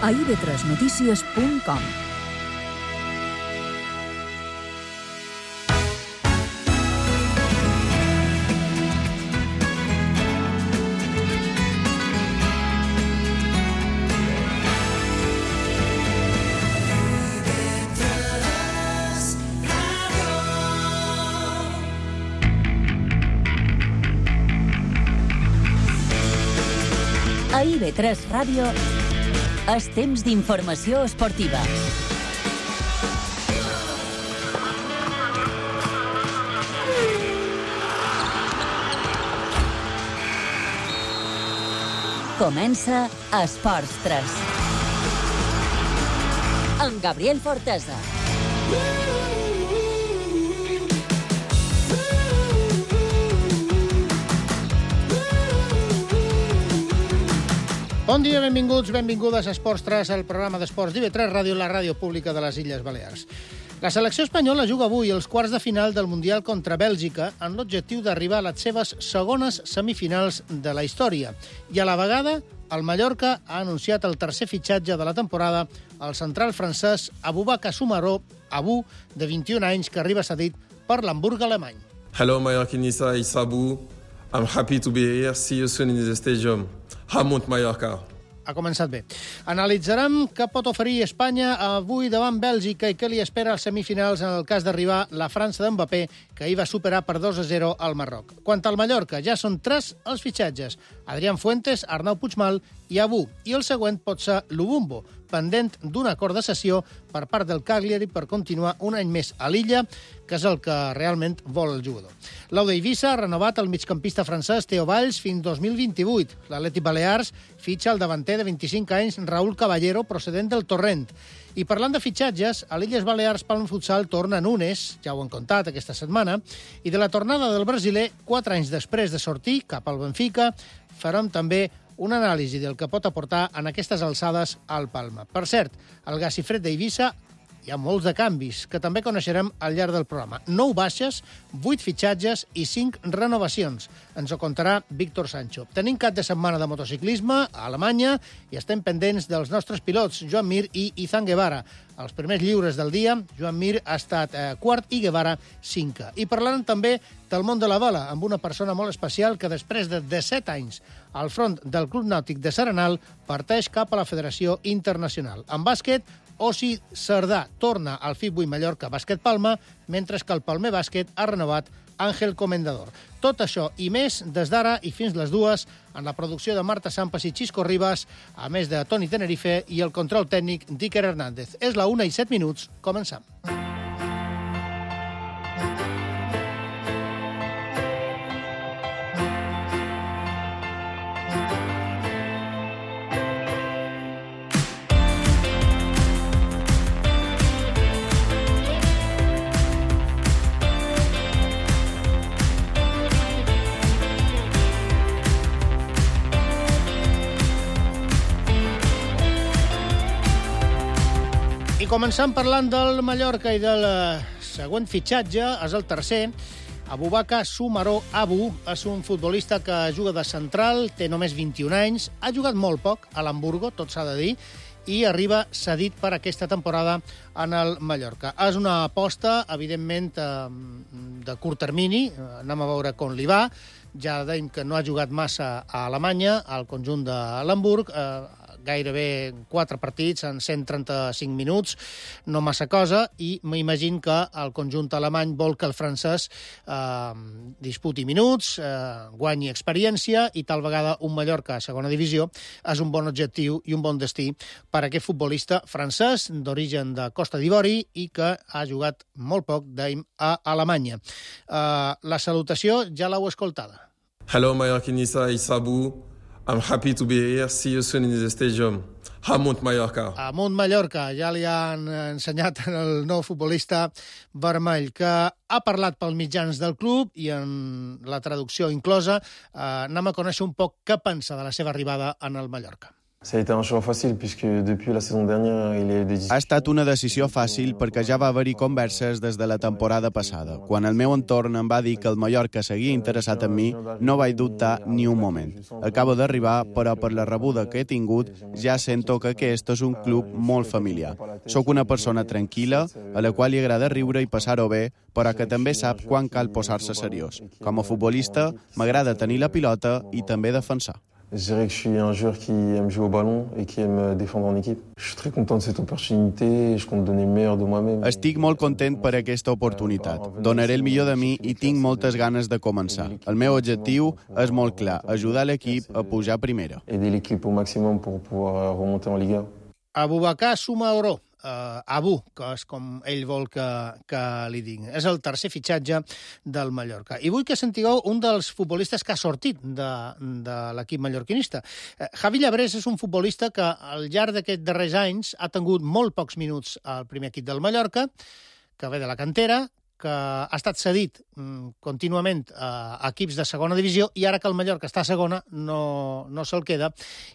a ib3noticias.com. A IB3 Ràdio és temps d'informació esportiva. Comença Esports 3. Amb Gabriel Fortesa. Bon dia, benvinguts, benvingudes a Esports 3, el programa d'esports d'IB3 Ràdio, la ràdio pública de les Illes Balears. La selecció espanyola juga avui els quarts de final del Mundial contra Bèlgica amb l'objectiu d'arribar a les seves segones semifinals de la història. I a la vegada, el Mallorca ha anunciat el tercer fitxatge de la temporada, el central francès Aboubakar Soumaré, Abou, de 21 anys, que arriba cedit per l'Hamburg alemany. Hello, Mallorquinista, it's Abou. I'm happy to be here. See you soon in the stadium. Hamont, Mallorca. Ha començat bé. Analitzarem què pot oferir Espanya avui davant Bèlgica i què li espera als semifinals en el cas d'arribar la França d'Mbappé, que ahir va superar per 2-0 al Marroc. Quant al Mallorca, ja són 3 els fitxatges. Adrián Fuentes, Arnau Puigmal i Abou. I el següent pot ser Lubumbo, pendent d'un acord de cessió per part del Cagliari per continuar un any més a l'illa, que és el que realment vol el jugador. L'Aude Eivissa ha renovat el migcampista francès Theo Valls fins 2028. L'Atlètic Balears fitxa el davanter de 25 anys Raúl Caballero, procedent del Torrent. I parlant de fitxatges, a l'Illes Balears Palma Futsal torna Nunes, ja ho hem contat aquesta setmana, i de la tornada del brasiler, 4 anys després de sortir cap al Benfica, farem també una anàlisi del que pot aportar en aquestes alçades al Palma. Per cert, al Gacifred d'Eivissa hi ha molts de canvis, que també coneixerem al llarg del programa. 9 baixes, 8 fitxatges i 5 renovacions. Ens ho contarà Víctor Sancho. Tenim cap de setmana de motociclisme a Alemanya i estem pendents dels nostres pilots, Joan Mir i Izan Guevara. Els primers lliures del dia, Joan Mir ha estat quart i Guevara 5. I parlarem també del món de la vela, amb una persona molt especial que després de 17 anys al front del Club Nàutic de Serenal parteix cap a la Federació Internacional. En bàsquet, Osi Cerdà torna al FIP8 Mallorca Bàsquet Palma, mentre que el Palmer Bàsquet ha renovat Àngel Comendador. Tot això i més des d'ara i fins les 2 en la producció de Marta Sampas i Xisco Ribas, a més de Toni Tenerife i el control tècnic d'Iker Hernández. És la 1:07, comencem. I començant parlant del Mallorca i del següent fitxatge, és el tercer. Aboubakar Soumaré Abou és un futbolista que juga de central, té només 21 anys, ha jugat molt poc a l'Hamburgo, tot s'ha de dir, i arriba cedit per aquesta temporada en el Mallorca. És una aposta, evidentment, de curt termini, anem a veure com li va. Ja deim que no ha jugat massa a Alemanya, al conjunt de l'Hamburg, gairebé 4 partits en 135 minuts, no massa cosa, i m'imagino que el conjunt alemany vol que el francès disputi minuts, guanyi experiència, i tal vegada un Mallorca a segona divisió és un bon objectiu i un bon destí per a aquest futbolista francès d'origen de Costa d'Ivori i que ha jugat molt poc a Alemanya. La salutació ja l'heu escoltada. Hello, Mallorquinista, it's Abou. I'm happy to be here. See you soon in the stadium. Hamont, Mallorca. Hamont, Mallorca. Ja li han ensenyat el nou futbolista vermell, que ha parlat pels mitjans del club i en la traducció inclosa anem a conèixer un poc què pensa de la seva arribada en el Mallorca. Ça a été un choix facile puisque depuis la saison dernière il y a eu des discussions. Ha estat una decisió fàcil perquè ja va haver-hi converses des de la temporada passada. Quan el meu entorn em va dir que el Mallorca seguia interessat en mi, no vaig dubtar ni un moment. Acabo d'arribar, però per la rebuda que he tingut ja sento que aquest és un club molt familiar. Soc una persona tranquil·la, a la qual li agrada riure i passar-ho bé, però que també sap quan cal posar-se seriós. Com a futbolista, m'agrada tenir la pilota i també defensar. Je dirais que je suis un joueur qui aime jouer au ballon et qui aime défendre en équipe. Je suis très content de cette opportunité et je compte donner le meilleur de moi-même. Estic molt content per aquesta oportunitat. Donaré el millor de mi i tinc moltes ganes de començar. El meu objectiu és molt clar, ajudar l'equip a pujar a primera. Aider l'équipe au maximum pour pouvoir remonter en Liga. Aboubacar Soumaoro, Abu, que és com ell vol que li diguin. És el tercer fitxatge del Mallorca. I vull que sentigueu un dels futbolistes que ha sortit de l'equip mallorquinista. Javi Llabrés és un futbolista que al llarg d'aquests darrers anys ha tingut molt pocs minuts al primer equip del Mallorca, que ve de la cantera, que ha estat cedit contínuament a equips de segona divisió i ara que el Mallorca està a segona no se'l queda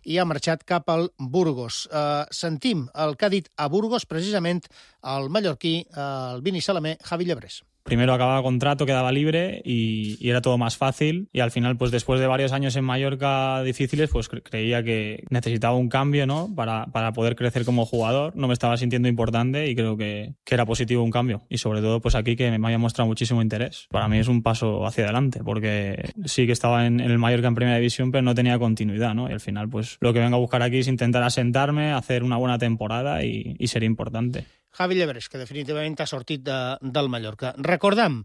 i ha marxat cap al Burgos. Sentim el que ha dit a Burgos precisament el mallorquí, el Vini Salamé, Javi Llabrés. Primero acababa contrato, quedaba libre y era todo más fácil y al final, pues después de varios años en Mallorca difíciles, pues creía que necesitaba un cambio, ¿no? Para poder crecer como jugador. No me estaba sintiendo importante y creo que era positivo un cambio y sobre todo pues aquí que me haya mostrado muchísimo interés. Para mí es un paso hacia adelante porque sí que estaba en el Mallorca en primera división pero no tenía continuidad, ¿no? Y al final pues lo que vengo a buscar aquí es intentar asentarme, hacer una buena temporada y ser importante. Javi Llabrés, que definitivament ha sortit del Mallorca. Recordem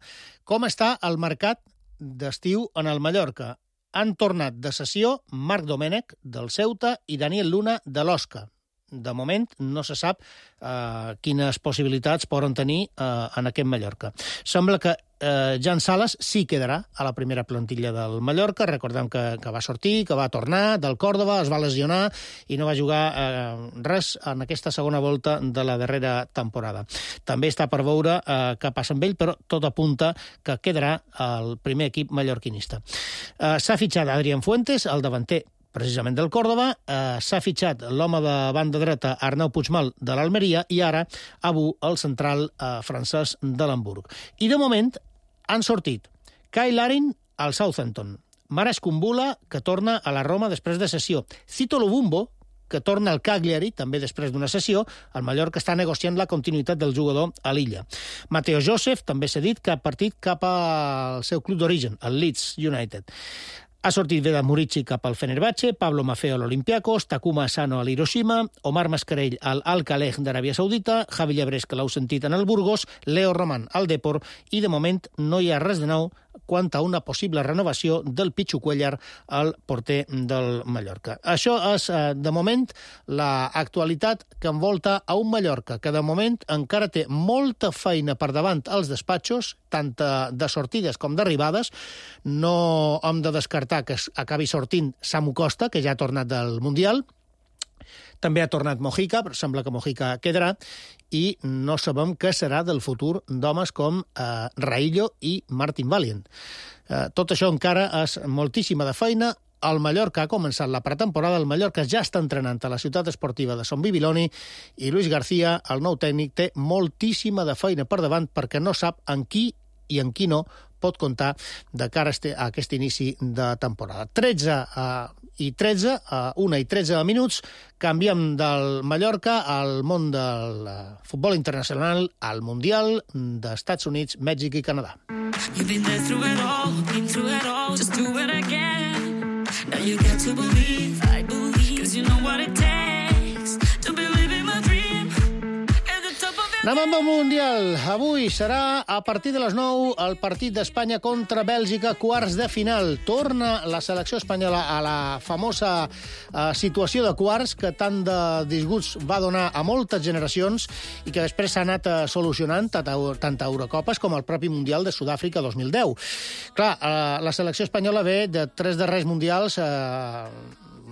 com està el mercat d'estiu en el Mallorca. Han tornat de sessió Marc Domènech, del Ceuta, i Daniel Luna, de l'Osca. De moment no se sap quines possibilitats poden tenir en aquest Mallorca. Sembla que Jan Sales sí quedarà a la primera plantilla del Mallorca. Recordem que va sortir, que va tornar del Còrdova, es va lesionar i no va jugar res en aquesta segona volta de la darrera temporada. També està per veure què passa amb ell, però tot apunta que quedarà al primer equip mallorquinista. S'ha fitxat Adrián Fuentes, el davanter precisament del Còrdova, s'ha fitxat l'home de banda dreta Arnau Puigmal de l'Almeria i ara Abu, el central francès de l'Hamburg. I de moment han sortit Kyle Larin al Southampton, Maras Kumbula, que torna a la Roma després de sessió, Cito Lubumbo, que torna al Cagliari, també després d'una sessió. El Mallorca està negociant la continuïtat del jugador a l'illa. Mateo Joseph també s'ha dit que ha partit cap al seu club d'origen, el Leeds United. Ha sortit Vedat Murici cap al Fenerbahce, Pablo Maffeo a l'Olympiacos, Takuma Asano a l'Hiroshima, Omar Mascarell al Al-Khalej d'Aràbia Saudita, Javi Llabrés, que l'heu sentit en el Burgos, Leo Roman al Depor, i de moment no hi ha res de nou quant a una possible renovació del Pichu Cuellar, el porter del Mallorca. Això és, de moment, l'actualitat que envolta a un Mallorca que, de moment, encara té molta feina per davant als despatxos, tant de sortides com d'arribades. No hem de descartar que acabi sortint Samu Costa, que ja ha tornat del Mundial. També ha tornat Mojica, però sembla que Mojica quedarà, i no sabem què serà del futur d'homes com Raillo i Martin Valient. Tot això encara és moltíssima de feina. El Mallorca ha començat la pretemporada, el Mallorca ja està entrenant a la ciutat esportiva de Son Bibiloni i Luis García, el nou tècnic, té moltíssima de feina per davant perquè no sap en qui i en qui no pot comptar de cara a aquest inici de temporada. 1 i 13 minuts, canviem del Mallorca al món del futbol internacional, al Mundial d'Estats Units, Mèxic i Canadà. You've been there through it all, been through it all, just do it again. Now you got to believe, I believe, 'cause you know what it takes to believe in my dream. Anem amb el Mundial. Avui serà a partir de les 9 el partit d'Espanya contra Bèlgica, quarts de final. Torna la selecció espanyola a la famosa situació de quarts que tant de disgusts va donar a moltes generacions i que després s'ha anat solucionant tant a Eurocopes com al propi Mundial de Sud-àfrica 2010. Clar, la selecció espanyola ve de 3 darrers mundials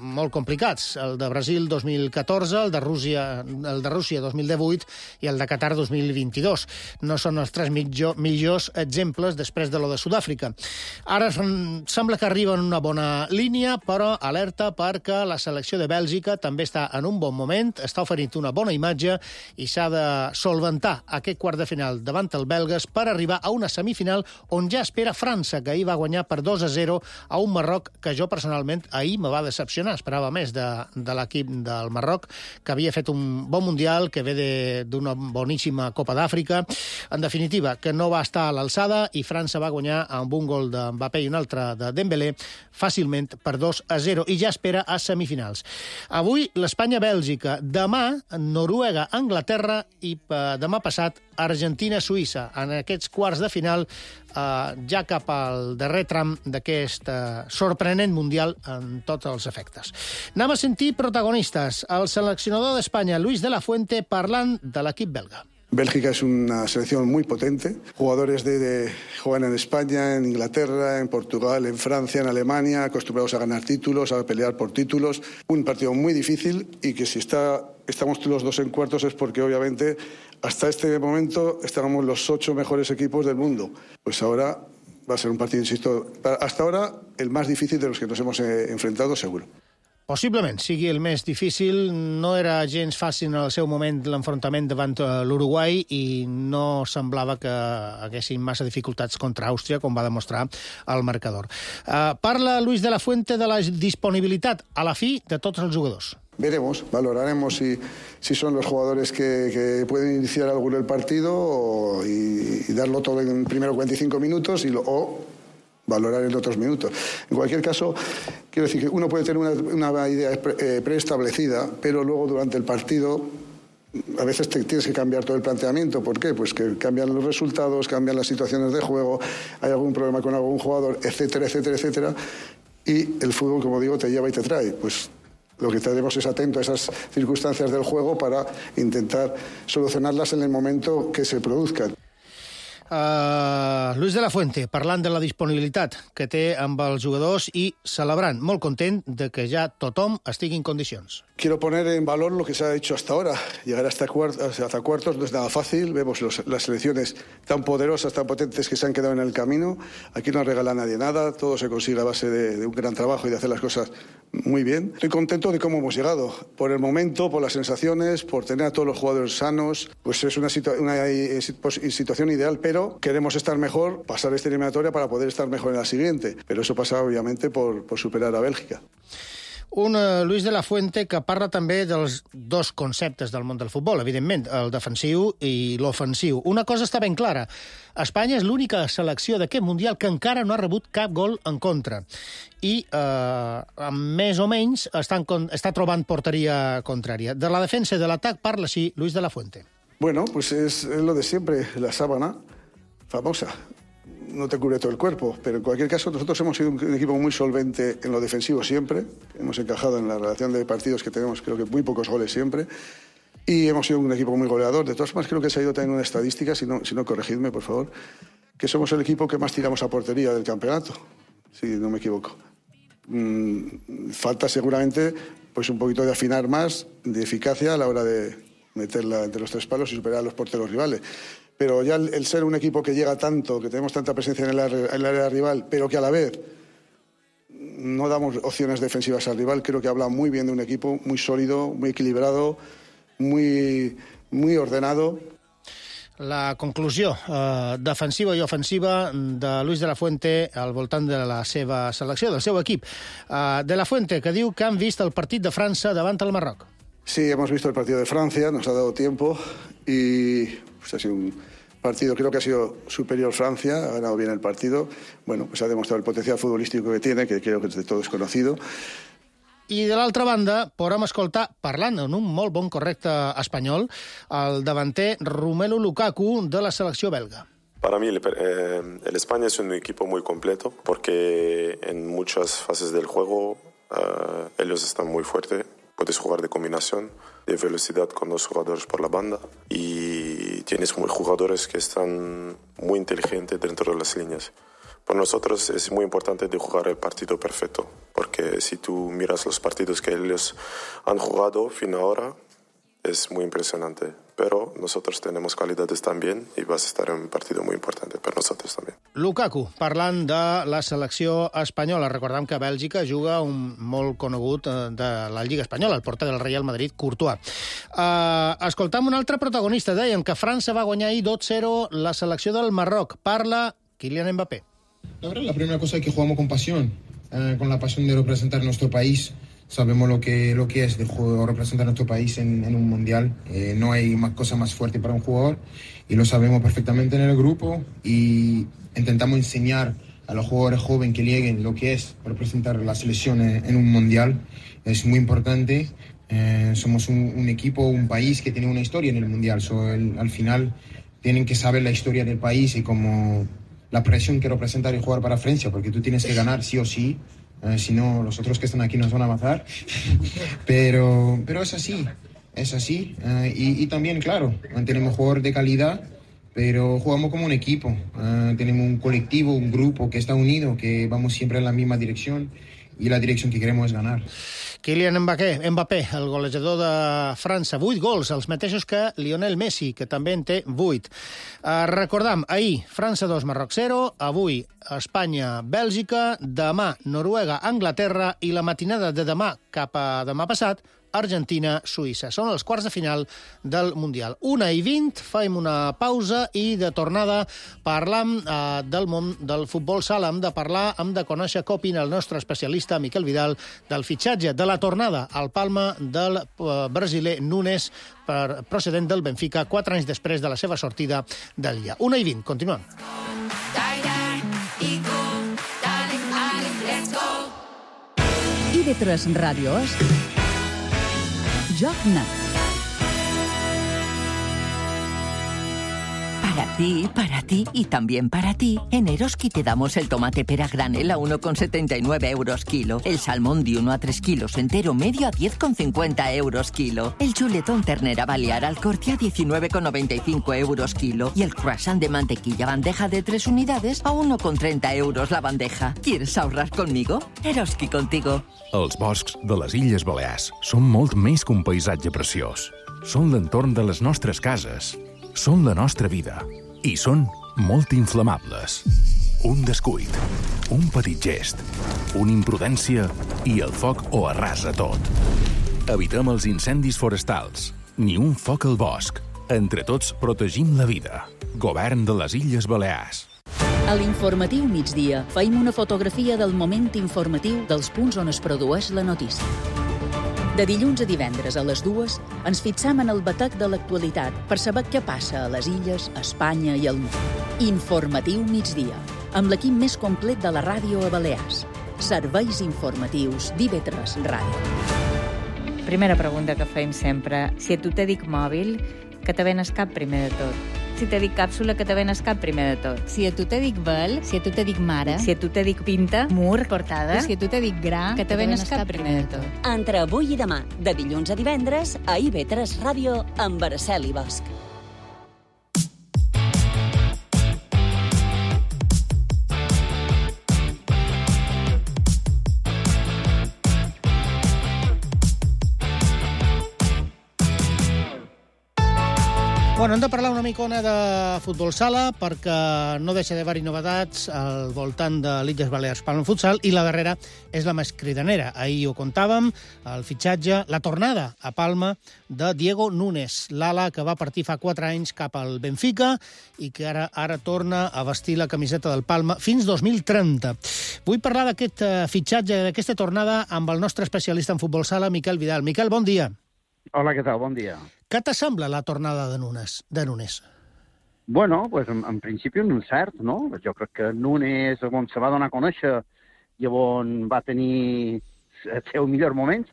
molt complicats. El de Brasil 2014, el de Rússia 2018 i el de Qatar 2022. No són els tres millors exemples després de lo de Sud-àfrica. Ara sembla que arriba en una bona línia, però alerta perquè la selecció de Bèlgica també està en un bon moment, està oferint una bona imatge i s'ha de solventar aquest quart de final davant el belgues per arribar a una semifinal on ja espera França, que ahir va guanyar per 2-0 a un Marroc que jo personalment ahir me va decepcionar. Esperava més de l'equip del Marroc, que havia fet un bon mundial, que ve d'una boníssima Copa d'Àfrica. En definitiva, que no va estar a l'alçada i França va guanyar amb un gol de Mbappé i un altre de Dembélé fàcilment per 2-0 i ja espera a semifinals. Avui l'Espanya-Bèlgica, demà Noruega-Anglaterra i demà passat Argentina-Suïssa. En aquests quarts de final, ja cap al darrer tram d'aquest sorprenent mundial en tots els efectes. Anem a sentir protagonistes. El seleccionador d'Espanya, Luis de la Fuente, parlant de l'equip belga. Bélgica es una selección muy potente. Jugadores juegan en España, en Inglaterra, en Portugal, en Francia, en Alemania, acostumbrados a ganar títulos, a pelear por títulos. Un partido muy difícil y que si estamos los dos en cuartos es porque obviamente hasta este momento estábamos los 8 mejores equipos del mundo. Pues ahora va a ser un partido, insisto, hasta ahora el más difícil de los que nos hemos enfrentado, seguro. Possiblement sigui el més difícil. No era gens fàcil en el seu moment l'enfrontament davant l'Uruguai i no semblava que haguessin massa dificultats contra Àustria, com va demostrar el marcador. Parla Luis de la Fuente de la disponibilitat a la fi de tots els jugadors. Veremos, valoraremos si son los jugadores que pueden iniciar algo el partido y darlo todo en primero 45 minutos o valorar en otros minutos. En cualquier caso, quiero decir que uno puede tener una idea preestablecida, pero luego durante el partido a veces tienes que cambiar todo el planteamiento. ¿Por qué? Pues que cambian los resultados, cambian las situaciones de juego, hay algún problema con algún jugador, etcétera, etcétera, etcétera. Y el fútbol, como digo, te lleva y te trae. Pues lo que tenemos es atento a esas circunstancias del juego para intentar solucionarlas en el momento que se produzcan. Luis de la Fuente, parlant de la disponibilitat que té amb els jugadors i celebrant, molt content de que ja tothom estigui en condicions. Quiero poner en valor lo que se ha hecho hasta ahora. Llegar hasta cuartos no es nada fácil. Vemos las selecciones tan poderosas, tan potentes que se han quedado en el camino. Aquí no regala a nadie nada. Todo se consigue a base de un gran trabajo y de hacer las cosas muy bien. Estoy contento de cómo hemos llegado. Por el momento, por las sensaciones, por tener a todos los jugadores sanos. Pues es una situación ideal, pero queremos estar mejor, pasar esta eliminatoria para poder estar mejor en la siguiente. Pero eso pasa, obviamente, por superar a Bèlgica. Un Luis de la Fuente que parla també dels dos conceptes del món del futbol, evidentment, el defensiu i l'ofensiu. Una cosa està ben clara. Espanya és l'única selecció d'aquest Mundial que encara no ha rebut cap gol en contra. I, més o menys, està trobant porteria contrària. De la defensa i de l'atac parla així Luis de la Fuente. Bueno, pues es lo de siempre, la sábana famosa. No te cubre todo el cuerpo, pero en cualquier caso nosotros hemos sido un equipo muy solvente en lo defensivo siempre, hemos encajado en la relación de partidos que tenemos, creo que muy pocos goles siempre, y hemos sido un equipo muy goleador. De todas formas, creo que se ha ido también una estadística, si no corregidme, por favor, que somos el equipo que más tiramos a portería del campeonato, si no me equivoco. Falta seguramente pues un poquito de afinar más, de eficacia a la hora de meterla entre los tres palos y superar a los porteros rivales. Pero ya el ser un equipo que llega tanto, que tenemos tanta presencia en el área rival, pero que a la vez no damos opciones defensivas al rival, creo que habla muy bien de un equipo muy sólido, muy equilibrado, muy ordenado. La conclusió defensiva i ofensiva de Luis de la Fuente al voltant de la seva selecció, del seu equip. De la Fuente, que diu que han vist el partit de França davant el Marroc. Sí, hemos visto el partido de Francia, nos ha dado tiempo y pues ha sido un partido, creo que ha sido superior Francia, ha ganado bien el partido. Bueno, pues ha demostrado el potencial futbolístico que tiene, que creo que de todo es conocido. I de l'altra banda, podem escoltar, parlant en un molt bon correcte espanyol, el davanter Romelu Lukaku de la selecció belga. Para mí el España es un equipo muy completo porque en muchas fases del juego ellos están muy fuertes. Puedes jugar de combinación, de velocidad con dos jugadores por la banda y tienes jugadores que están muy inteligentes dentro de las líneas. Para nosotros es muy importante de jugar el partido perfecto, porque si tú miras los partidos que ellos han jugado fin ahora, es muy impresionante. Pero nosotros tenemos calidades también y vas a estar en un partido muy importante per nosaltres també. Lukaku, parlant de la selecció espanyola. Recordem que a Bèlgica juga un molt conegut de la Lliga Espanyola, el porter del Real Madrid, Courtois. Escoltam un altre protagonista. Deien que França va guanyar ahir 2-0 la selecció del Marroc. Parla Kylian Mbappé. La verdad, la primera cosa es que jugamos con pasión, con la pasión de representar nuestro país. Sabemos lo que es de representar nuestro país en un mundial. No hay cosa más fuerte para un jugador y lo sabemos perfectamente en el grupo y intentamos enseñar a los jugadores jóvenes que lleguen lo que es representar la selección en un mundial. Es muy importante. Somos un equipo, un país que tiene una historia en el mundial. Al final tienen que saber la historia del país y como la presión que representa el jugar para Francia, porque tú tienes que ganar sí o sí. Si no, los otros que están aquí nos van a matar. Pero es así, es así. Y también, claro, tenemos jugadores de calidad, pero jugamos como un equipo. Tenemos un colectivo, un grupo que está unido, que vamos siempre en la misma dirección y la dirección que queremos es ganar. Kylian Mbappé, el golejador de França. 8 gols, els mateixos que Lionel Messi, que també en té 8. Recordam, ahir França 2, Marroc 0, avui Espanya, Bèlgica, demà Noruega, Anglaterra i la matinada de demà cap a demà passat, Argentina, Suïssa. Són els quarts de final del Mundial. 1:20, fem una pausa i de tornada parlam del món del futbol sala. Hem de conèixer què opina el nostre especialista Miquel Vidal del fitxatge, de la tornada al Palma del brasiler Nunes, procedent del Benfica, 4 anys després de la seva sortida del Llà. 1:20, continuem. IB3 Ràdio és Joc Net. Para ti y también para ti, en Eroski te damos el tomate pera granel a 1,79 euros kilo, el salmón de 1 a 3 kilos entero medio a 10,50 euros kilo, el chuletón ternera balear al corte a 19,95 euros kilo y el croissant de mantequilla bandeja de 3 unidades a 1,30 euros la bandeja. ¿Quieres ahorrar conmigo? Eroski contigo. Els boscs de les Illes Balears són molt més que un paisatge preciós. Són l'entorn de les nostres cases. Són la nostra vida. I són molt inflamables. Un descuid, un petit gest, una imprudència i el foc ho arrasa tot. Evitem els incendis forestals. Ni un foc al bosc. Entre tots protegim la vida. Govern de les Illes Balears. A l'informatiu migdia feim una fotografia del moment informatiu dels punts on es produeix la notícia. De dilluns a divendres a les 2 ens fixam en el batec de l'actualitat per saber què passa a les illes, a Espanya i al món. Informatiu migdia, amb l'equip més complet de la ràdio a Balears. Serveis informatius d'IB3 Ràdio. Primera pregunta que fem sempre. Si a tu te dic mòbil, que te ven el cap primer de tot. Si te dic càpsula, que te ven el cap primer de tot. Si a tu te dic vel, si a tu te dic mare, si a tu te dic pinta, mur, portada, si a tu te dic gra, que te ven el cap primer de tot. Entre avui i demà, de dilluns a divendres, a IB3 Ràdio, amb Araceli Bosch. Bueno, hem de parlar una micona de futbol sala perquè no deixa d'haver-hi novetats al voltant de l'Illes Balears Palma Futsal i la darrera és la més cridanera. Ahir ho contàvem, el fitxatge, la tornada a Palma de Diego Nunes, l'ala que va partir fa 4 anys cap al Benfica i que ara torna a vestir la camiseta del Palma fins 2030. Vull parlar d'aquest fitxatge, d'aquesta tornada amb el nostre especialista en futbol sala, Miquel Vidal. Miquel, bon dia. Hola, què tal? Bon dia. Què t'assembla la tornada de Nunes? Bueno, pues en principi un cert, no? Jo crec que Nunes, on se va donar a conèixer i on va tenir els seus millors moments,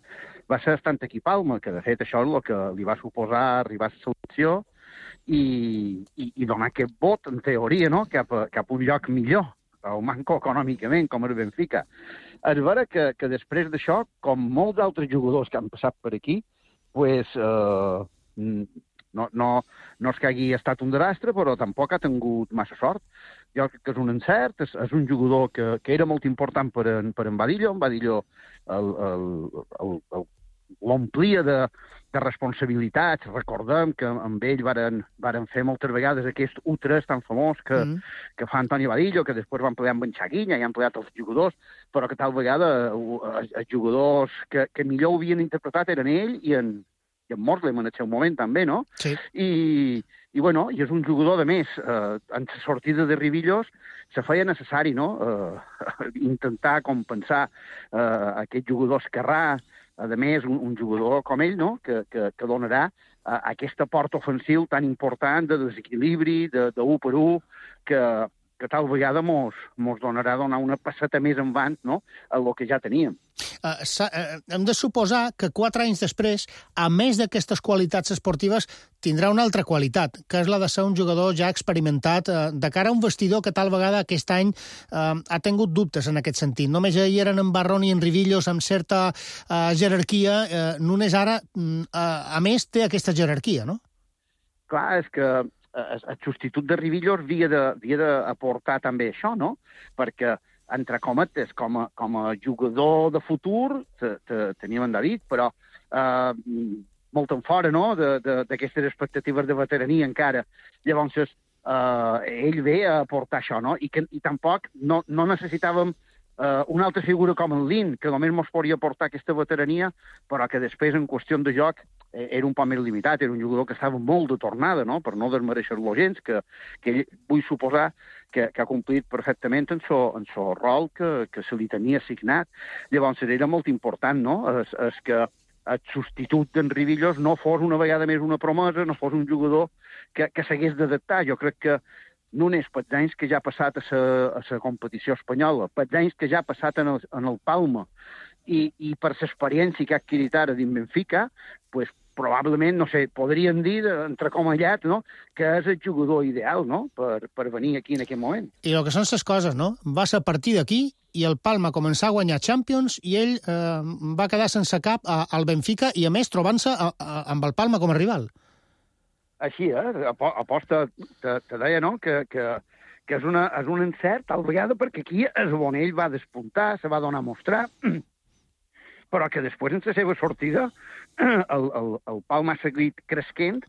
va ser estant aquí a Palma, que de fet això és el que li va suposar arribar a la selecció i donar aquest vot, en teoria, no? cap a un lloc millor, o manco econòmicament, com el Benfica. És vera que després d'això, com molts altres jugadors que han passat per aquí, pues, no és que hagi estat un desastre, però tampoc ha tingut massa sort. jo crec que és un encert, és un jugador que era molt important per en Badillo. En Badillo l'omplia de responsabilitats. Recordem que amb ell varen fer moltes vegades aquest U3 tan famós que fa Antoni Badillo, que després va emplear amb en Xaguinha i ha empleat els jugadors, però que tal vegada els jugadors que millor ho havien interpretat eren ell i en Moslem en el seu moment també, no? Sí. I és un jugador, de més, en la sortida de Rivillos se feia necessari, no?, intentar compensar aquest jugador esquerrà, a més, un jugador com ell, no?, que donarà aquesta port ofensiu tan important de desequilibri, de 1 per 1, que tal vegada mos donarà donar una passeta més endavant, no?, a lo que ja teníem. Hem de suposar que 4 anys després, a més d'aquestes qualitats esportives, tindrà una altra qualitat, que és la de ser un jugador ja experimentat de cara a un vestidor que tal vegada aquest any ha tingut dubtes en aquest sentit. Només hi eren en Barrón i en Rivillos amb certa jerarquia. Nunes ara, a més, té aquesta jerarquia, no? Clar, és que el substitut de Rivillos havia d'aportar també això, no? Perquè, entre cometes, com a jugador de futur, teníem en David, però molt en fora, no?, d'aquestes expectatives de veterania encara. Llavors, ell ve a aportar això, no? I tampoc no necessitàvem una altra figura com en Lin, que només ens podria aportar aquesta veterania, però que després, en qüestió de joc, era un poc més limitat. Era un jugador que estava molt de tornada, no?, per no desmereixer-lo gens, que ell, vull suposar que ha complit perfectament en so rol que se li tenia assignat. Llavors, era molt important, no?, és que el substitut d'en Rivillos no fos una vegada més una promesa, no fos un jugador que s'hagués d'adaptar. Jo crec que Nunes, pels anys que ja ha passat a la competició espanyola, pels anys que ja ha passat en el Palma, i per l'experiència que ha adquirit ara dins Benfica, pues, probablement, no sé, podríem dir, entrecomallat, no?, que és el jugador ideal, no?, per venir aquí en aquest moment. I el que són les coses, no? Va ser a partir d'aquí i el Palma començà a guanyar Champions i ell va quedar sense cap al Benfica i, a més, trobant-se amb el Palma com a rival. Així, aposta, te deia, no?, que és un encert, tal vegada, perquè aquí és on ell va despuntar, se va donar a mostrar, però que després, en la seva sortida, el Palma ha seguit cresquent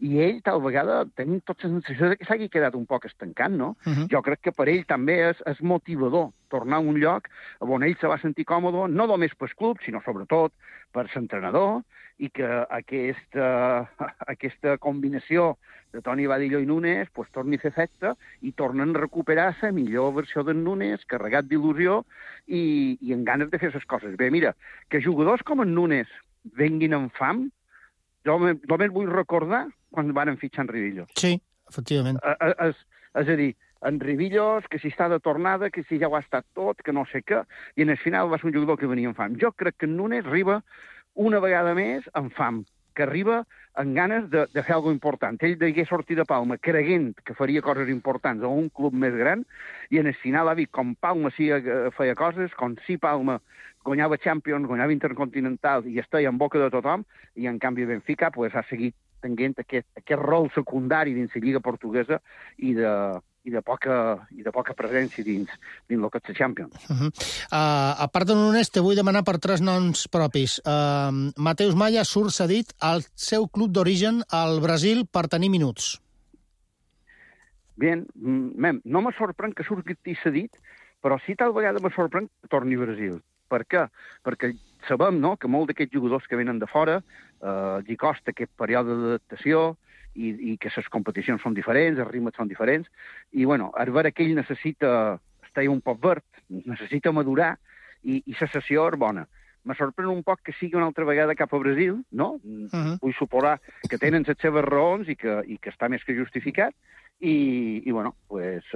i ell, tal vegada, tenim tota la sensació que s'hagi quedat un poc estancant, no? Jo crec que per ell també és motivador tornar a un lloc on ell se va sentir còmode, no només pel club, sinó sobretot per l'entrenador, i que aquesta combinació de Toni Badillo i Nunes pues, torni a fer efecte i tornen a recuperar la millor versió d'en Nunes, carregat d'il·lusió i amb ganes de fer les coses bé. Mira, que jugadors com en Nunes venguin amb fam, jo només vull recordar quan van fitxar en Rivillos. Sí, efectivament. És a dir, en Rivillos, que si està de tornada, que si ja ho ha estat tot, que no sé què, i en el final va ser un jugador que venia amb fam. Jo crec que en Nunes arriba una vegada més amb fam, que arriba amb ganes de fer alguna important. Ell degué sortir de Palma creient que faria coses importants a un club més gran, i en el final ha vist com Palma sí feia coses, com sí Palma guanyava Champions, guanyava Intercontinental i estava en boca de tothom, i en canvi Benfica pues, ha seguit tenint aquest rol secundari dins la Lliga Portuguesa i de poca presència dins el que és la Champions. A part de Nunes, te vull demanar per 3 noms propis. Mateus Maya surt cedit al seu club d'origen al Brasil per tenir minuts. Bien, no me sorprèn que surti cedit, però sí tal vegada me sorprèn que torni a Brasil. Per què? Perquè sabem, no?, que molts d'aquests jugadors que venen de fora els costa aquest període d'adaptació i que les competicions són diferents, els ritmes són diferents, i, bueno, a veure que ell necessita estar un poc verd, necessita madurar, i la sessió és bona. Me sorprèn un poc que sigui una altra vegada cap a Brasil, no? Vull suposar que tenen les seves raons i que està més que justificat, i bueno, pues,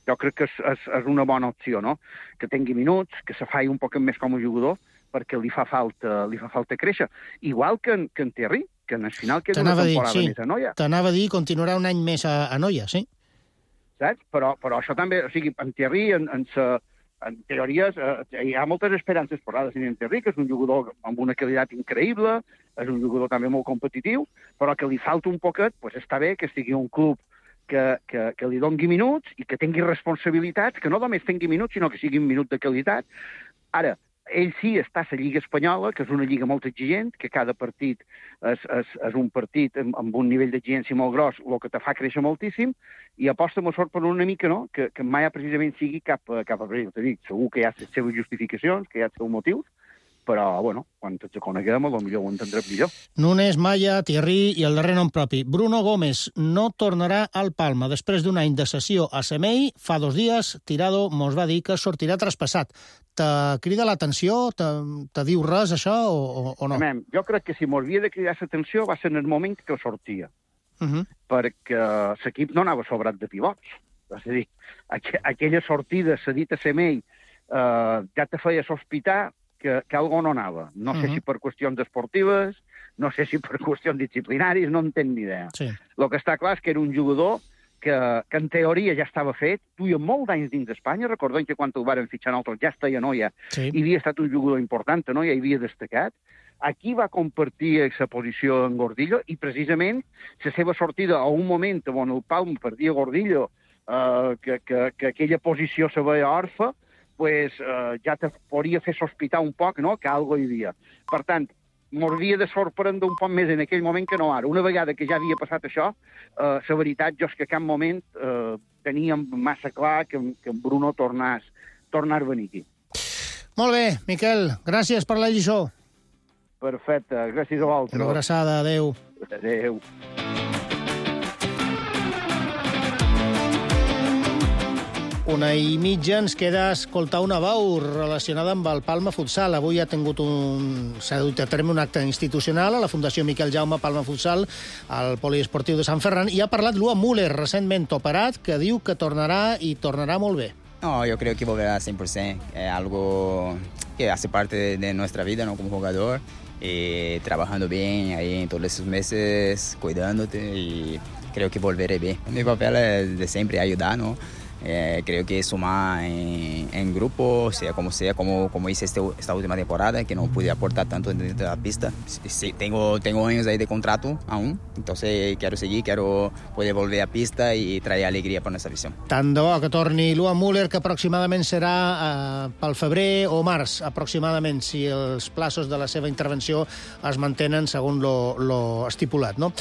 jo crec que és una bona opció, no?, que tingui minuts, que se faci un poc més com a jugador, perquè li fa falta créixer. Igual que en Thierry, que en el final queda una temporada més a Noia. T'anava a dir, continuarà un any més a Noia, sí. Saps? Però això també, o sigui, en Thierry, en teories, hi ha moltes esperances posades en Thierry, que és un jugador amb una qualitat increïble, és un jugador també molt competitiu, però que li falta un poquet, pues està bé que estigui un club que li doni minuts i que tingui responsabilitats, que no només tingui minuts, sinó que sigui un minut de qualitat. Ara, ell sí està a la Lliga Espanyola, que és una lliga molt exigent, que cada partit és un partit amb un nivell d'exigència molt gros, el que te fa créixer moltíssim, i aposta molt sort per una mica, no?, que mai precisament sigui cap a Brasil. T'ho dic, segur que hi ha les seves justificacions, que hi ha els seus motius, però, bueno, quan ens coneguem, potser ho entendrem millor. Nunes, Maya, Thierry i el darrer nom propi. Bruno Gómez no tornarà al Palma. Després d'un any de sessió a Semei, fa 2 dies, Tirado mos va dir que sortirà traspassat. Te crida l'atenció? Te diu res, això, o no? Jo crec que si mos havia de cridar l'atenció va ser en el moment que sortia. Perquè l'equip no anava sobrat de pivots. És a dir, aquella sortida cedit a Semei ja te feia sospitar que algo no anava. No sé si per qüestions esportives, no sé si per qüestions disciplinàries, no en tenc ni idea. El que està clar és que era un jugador que en teoria ja estava fet, duia molt d'anys dins d'Espanya, recordem que quan el varen fitxar nosaltres ja estava a Noia, i havia estat un jugador important a Noia, i havia destacat. Aquí va compartir la posició en Gordillo, i precisament la seva sortida a un moment on el Palma perdia Gordillo, que aquella posició se veia orfa, pues, ja te podria fer sospitar un poc, no?, que algo hi havia. Per tant, m'hauria de sorprendre un poc més en aquell moment que no ara. Una vegada que ja havia passat això, la veritat, jo és que a cap moment teníem massa clar que en Bruno tornés a venir aquí. Molt bé, Miquel, gràcies per la lliçó. Perfecte, gràcies a vosaltres. Una abraçada, adeu. Adeu. 1:30 ens queda escoltar una veu relacionada amb el Palma Futsal. Avui s'ha dut a terme un acte institucional a la Fundació Miquel Jaume Palma Futsal, al poliesportiu de Sant Ferran, i ha parlat Lua Müller, recentment operat, que diu que tornarà i tornarà molt bé. No, yo creo que volverá 100%. Es algo que hace parte de nuestra vida, ¿no?, como jugador, trabajando bien ahí en todos esos meses, cuidándote, y creo que volveré bien. Mi papel es de siempre ayudar, ¿no? Creo que sumar en grupo, sea, como hice esta última temporada, que no pude aportar tanto dentro de la pista. Sí, tengo años ahí de contrato aún, entonces quiero seguir, quiero poder volver a pista y traer alegría para nuestra afición. Tant de bo que torni Lua Müller, que aproximadament serà pel febrer o març, aproximadament, si els plaços de la seva intervenció es mantenen segons lo estipulat, no?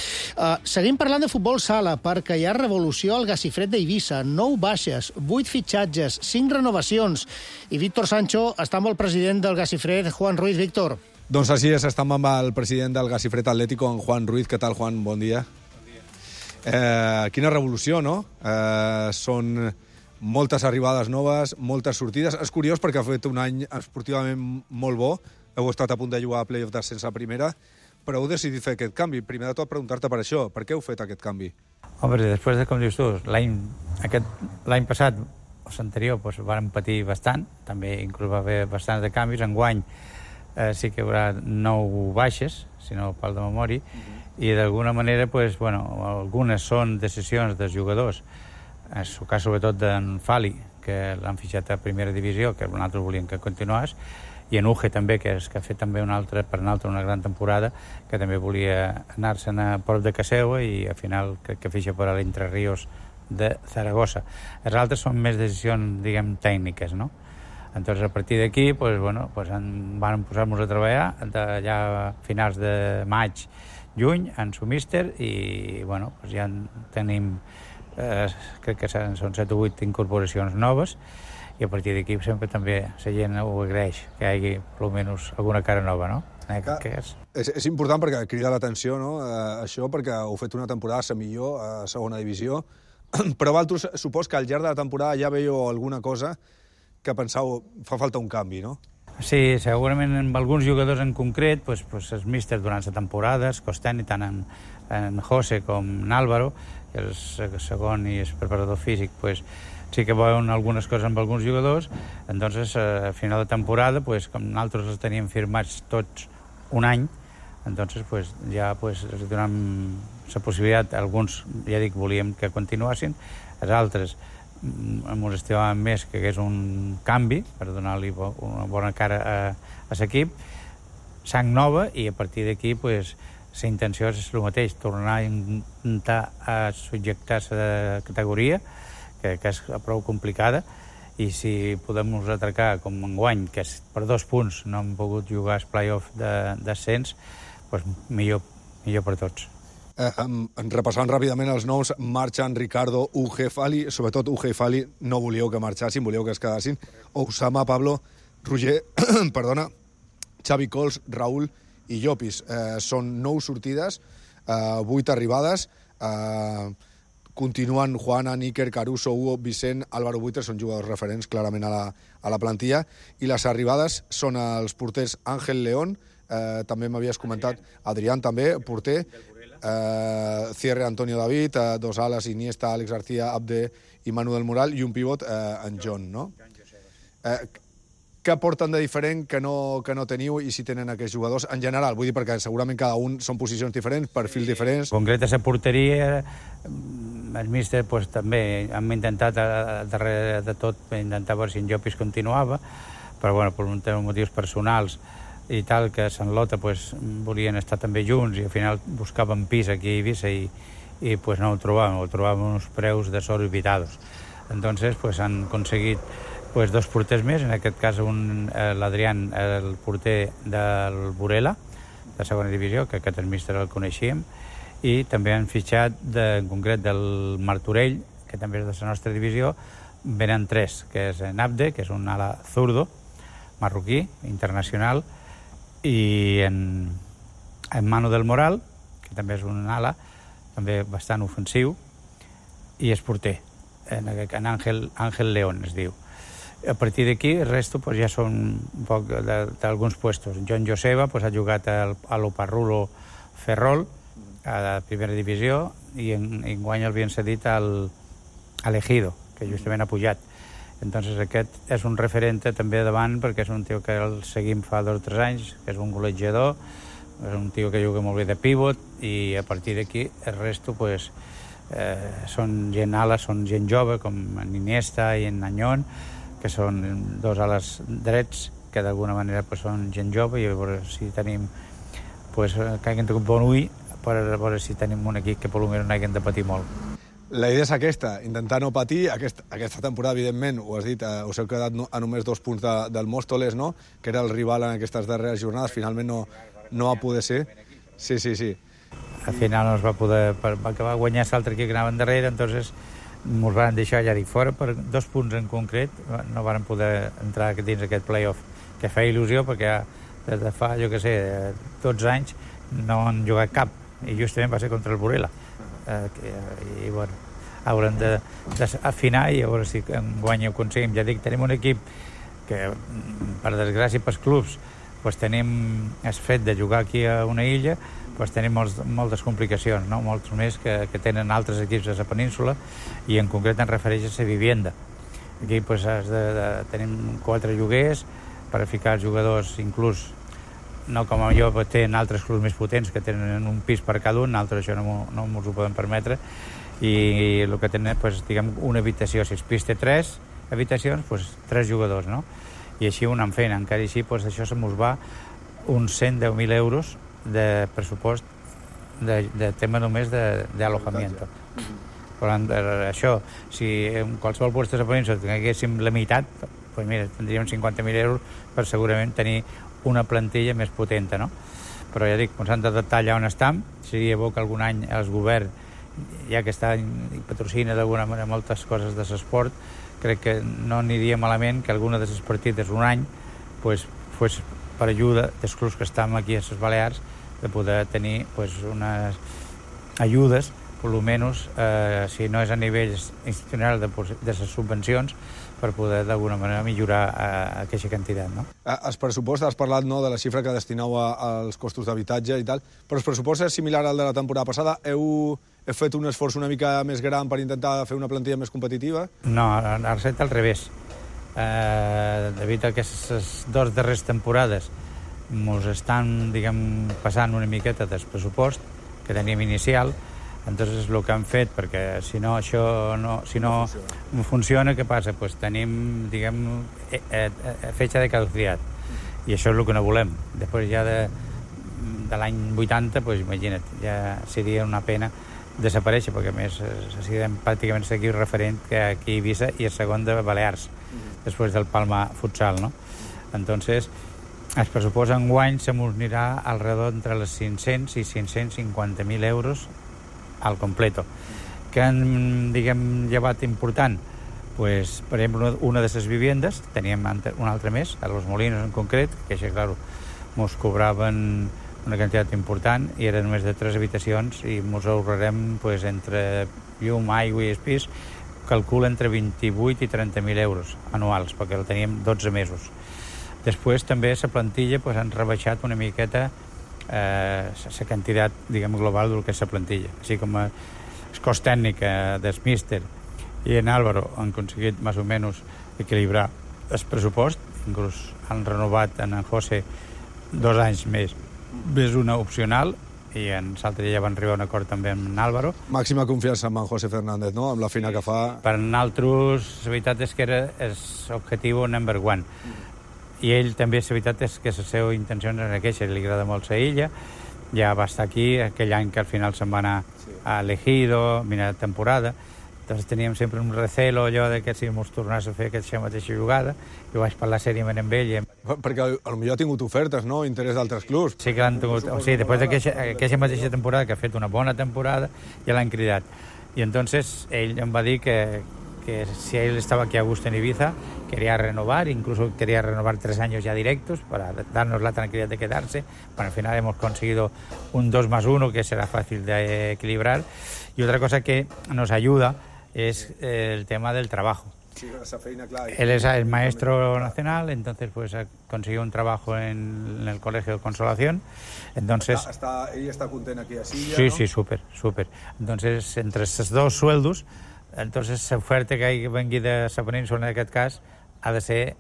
Seguim parlant de futbol sala, perquè hi ha revolució al Gacifred d'Eivissa, 9 baixes, 8 fitxatges, 5 renovacions. I Víctor Sancho està amb el president del Gacifred, Juan Ruiz. Víctor. Doncs així és, estem amb el president del Gacifred Atlético, en Juan Ruiz. Què tal, Juan? Bon dia. Quina revolució, no? Són moltes arribades noves, moltes sortides. És curiós perquè ha fet un any esportivament molt bo. Heu estat a punt de jugar a playoff descens a primera, però heu decidit fer aquest canvi. Primer de tot, preguntar-te per això. Per què heu fet aquest canvi? Home, després de, com dius tu, l'any passat, o l'anterior, doncs, vam patir bastant, també inclús va haver bastants de canvis. Enguany sí que hi haurà 9 baixes, si no pel de memòria, i d'alguna manera, doncs, bueno, algunes són decisions dels jugadors, en el cas sobretot d'en Fali, que l'han fitxat a primera divisió, que nosaltres volíem que continués, i en Uge també, que ha fet també una gran temporada, que també volia anar-se'n a prop de casa seva, i al final crec que fitxa per a l'Entre Ríos de Zaragoza. Els altres són més decisions, diguem, tècniques, no? Entonces, a partir d'aquí, pues, bueno, pues van posar-nos a treballar allà a finals de maig, juny, en su míster, i bueno, pues ja tenim, crec que són 7 o 8 incorporacions noves, i a partir d'aquí sempre també la gent ho agraeix, que hi hagi almenys alguna cara nova, no? És important perquè crida l'atenció, no? Això, perquè heu fet una temporada a la millor, a segona divisió, però vosaltres supos que al llarg de la temporada ja veieu alguna cosa que penseu fa falta un canvi, no? Sí, segurament amb alguns jugadors en concret, pues els místers durant la temporada, es costen tant en José com en Álvaro, que és el segon i el preparador físic, pues sí que veuen algunes coses amb alguns jugadors. Entonces, a final de temporada, pues, com nosaltres els teníem firmats tots un any, entonces, pues, ja pues, els donem la possibilitat. Alguns, ja dic, volíem que continuassin, els altres ens estimaven més que hagués un canvi per donar-li una bona cara a l'equip, sang nova, i a partir d'aquí, pues, la intenció és el mateix, tornar a intentar subjectar-se de categoria, que és prou complicada, i si podem atracar com enguany, que és per 2 punts no hem pogut jugar el play-off d'ascens, doncs millor per tots. Repassant ràpidament els noms, marxen Ricardo, Uge, Fali, sobretot Uge i Fali no volíeu que marxassin, volíeu que es quedassin, Osama, Pablo, Roger, perdona, Xavi Cols, Raúl i Llopis. Són 9 sortides, 8 arribades, continuen Juana, Níker, Caruso, Hugo, Vicent, Álvaro Buitre, són jugadors referents clarament a la plantilla, i les arribades són els porters Ángel León, també m'havies comentat, Adrián també, porter, Cierre, Antonio David, 2 ales, Iniesta, Àlex García, Abde i Manu del Moral, i un pivot, en John, no? Què porten de diferent que no teniu i si tenen aquests jugadors en general? Vull dir, perquè segurament cada un són posicions diferents, perfils diferents. En concret, a la porteria, el míster també hem intentat, darrere de tot, intentar veure si en Llopis continuava, però bueno, per motius personals i tal, que Sant Lota volien estar també junts i al final buscaven pis aquí a Eivissa i no ho trobàvem uns preus desorbitados. Entonces han aconseguit 2 porters més, en aquest cas l'Adrián, el porter del Burela, de segona divisió, que aquest míster el coneixíem, i també han fitxat, en concret, del Martorell, que també és de la nostra divisió, venen 3, que és en Abde, que és un ala zurdo, marroquí, internacional, i en Manu del Moral, que també és un ala, també bastant ofensiu, i és porter, en Ángel León es diu. A partir d'aquí, el resto ja són un poc d'alguns puestos. John Joseba ha jugat a l'Oparrulo Ferrol, a la primera divisió, i enguany l'havien cedit al Ejido, que justament ha pujat. Entonces aquest és un referent també davant, perquè és un tio que el seguim fa 2 o 3 anys, que és un golejador, és un tio que juga molt bé de pivot, i a partir d'aquí el resto són gent ala, són gent jove, com en Iniesta i en Añón, que són 2 ales drets, que d'alguna manera són gent jove, i a veure si tenim que hagin tingut bon ull, per veure si tenim un equip que potser no hagin de patir molt. La idea és aquesta, intentar no patir. Aquesta temporada, evidentment, ho has dit, us heu quedat a només 2 punts del Móstoles, no? Que era el rival en aquestes darreres jornades, finalment no va poder ser. Sí. Al final no es va poder, perquè va guanyar l'altre equip que anava darrere, entonces ens van deixar, ja dic, fora per 2 punts en concret, no van poder entrar dins aquest play-off, que feia il·lusió, perquè des de fa, 12 anys no han jugat cap, i justament va ser contra el Burela. I bueno, haurem d'afinar i a veure si enguany ho aconseguim. Ja dic, tenim un equip que, per desgràcia pels clubs, tenim el fet de jugar aquí a una illa, tenim moltes complicacions, no? Molts més que tenen altres equips a la península, i en concret en refereix a la vivenda. Aquí tenim 4 lloguers per ficar els jugadors, inclús no com jo, tenen altres clubs més potents que tenen un pis per cada un, altres això no ens ho podem permetre, i el que tenen, diguem, una habitació. Si el pis té 3 habitacions, 3 jugadors, no? I així ho anem fent. Encara així, això se mos va uns 110.000 euros de pressupost de tema només d'alojamiento. Per tant, això, si en qualsevol lloc de la península tinguéssim la meitat, tindríem 50.000 euros per segurament tenir una plantilla més potent, no? Però ja dic, ens han d'adaptar allà on estem. Seria bo que algun any el govern, ja que està patrocina d'alguna manera moltes coses de l'esport, crec que no aniria malament que alguna de les partides un any fos per ajuda dels clubs que estem aquí a les Balears, de poder tenir unes ajudes, per almenys, si no és a nivell institucional de les subvencions, per poder d'alguna manera millorar aquesta quantitat, no? El pressupost, has parlat de la xifra que destineu als costos d'habitatge i tal, però el pressupost és similar al de la temporada passada. Heu fet un esforç una mica més gran per intentar fer una plantilla més competitiva? No, ha estat al revés. Degut a aquestes 2 darreres temporades ens estan, passant una miqueta del pressupost que teníem inicial. Entonces el que han fet, perquè si no funciona, què passa? Tenim, fecha de caducitat, i això és el que no volem. Després ja de l'any 80, doncs imagina't, ja seria una pena desaparèixer, perquè a més serem pràcticament seguir referent que aquí a Eivissa i el segon de Balears, després del Palma Futsal, no? Entonces, el pressupost enguany se mos anirà alrededor entre les 500 i 550.000 euros al completo. Què han, diguem, llevat important? Pues, per exemple, una de les viviendes, teníem una altra més, a Los Molinos en concret, que això, clar, mos cobraven una quantitat important i eren només de 3 habitacions i mos ahorrarem pues, entre llum, aigua i espís, calcula entre 28 i 30.000 euros anuals, perquè el teníem 12 mesos. Després també la plantilla pues, han rebaixat una miqueta la quantitat, diguem, global del que és la plantilla. Així com el cost tècnic del míster i en Álvaro han aconseguit més o menys equilibrar el pressupost, inclús han renovat en José 2 anys més una opcional i en l'altre ja van arribar a un acord també amb en Álvaro. Màxima confiança amb en José Fernández, no?, amb la feina que fa. Per nosaltres, la veritat és que era l'objectiu number one. I ell també, la veritat és que la seva intenció era aquesta, li agrada molt la illa, ja va estar aquí, aquell any que al final se'n va anar a Elegido, mira la temporada. Entonces teníem sempre un recelo allò de que si mos tornés a fer aquesta mateixa jugada. Jo vaig parlar sèriament amb ell. Perquè potser ha tingut ofertes, no?, interès d'altres clubs. Sí que l'han tingut. O sigui, després d'aquesta mateixa temporada, que ha fet una bona temporada, ja l'han cridat. I entonces ell em va dir que si él estaba aquí a gusto en Ibiza, quería renovar, incluso quería renovar 3 años ya directos para darnos la tranquilidad de quedarse. Bueno, al final hemos conseguido un 2+1 que será fácil de equilibrar. Y otra cosa que nos ayuda es el tema del trabajo. Sí, esa feina, claro. Él es el maestro nacional, entonces pues ha conseguido un trabajo en el Colegio de Consolación. Entonces, ella está contenta aquí a Silla, sí, ¿no? Sí, súper. Entonces, entre esos 2 sueldos, entonces l'oferta que vengui de la península en aquest cas ha de ser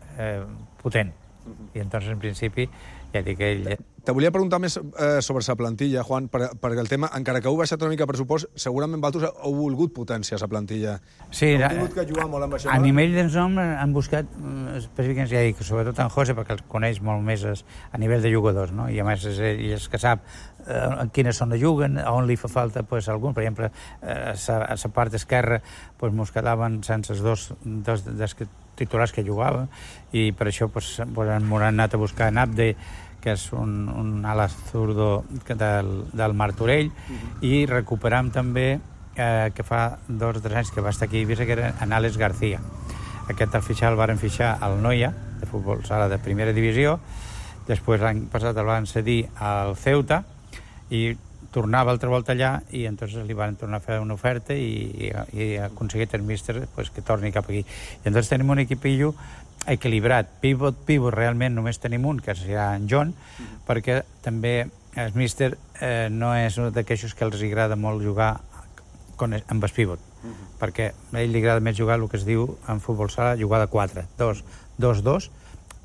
potent. I entonces, en principi, ja dic que ell... Te volia preguntar més sobre la plantilla, Juan, perquè el tema, encara que heu baixat una mica el pressupost, segurament vosaltres heu volgut potència la plantilla. Sí, heu tingut que jugar molt amb això. A nivell dels noms han buscat específicament, ja dic, sobretot en José, perquè els coneix molt més a nivell de jugadors, no? I a més és ell que sap en quina zona juguen, on li fa falta pues, algun. Per exemple, a la part esquerra pues, mos quedaven sense els dos dels titulars que jugaven i per això pues, han anat a buscar en Abde, que és un ala zurdo del Martorell, i recuperam també que fa 2 o 3 anys que va estar aquí a Eivissa, que era en Àlex García. Aquest el varen fitxar al Noia, de futbol sala de primera divisió, després l'any passat el van cedir al Ceuta i tornava altra volta allà i entonces li van tornar a fer una oferta i ha aconseguit el míster pues, que torni cap aquí. I entonces tenim un equipillo equilibrat. Pivot, realment només tenim un, que serà en John, perquè també el míster no és un d'aquells que els agrada molt jugar amb el pivot, perquè a ell li agrada més jugar el que es diu en futbol sala, jugar de 4, 2-2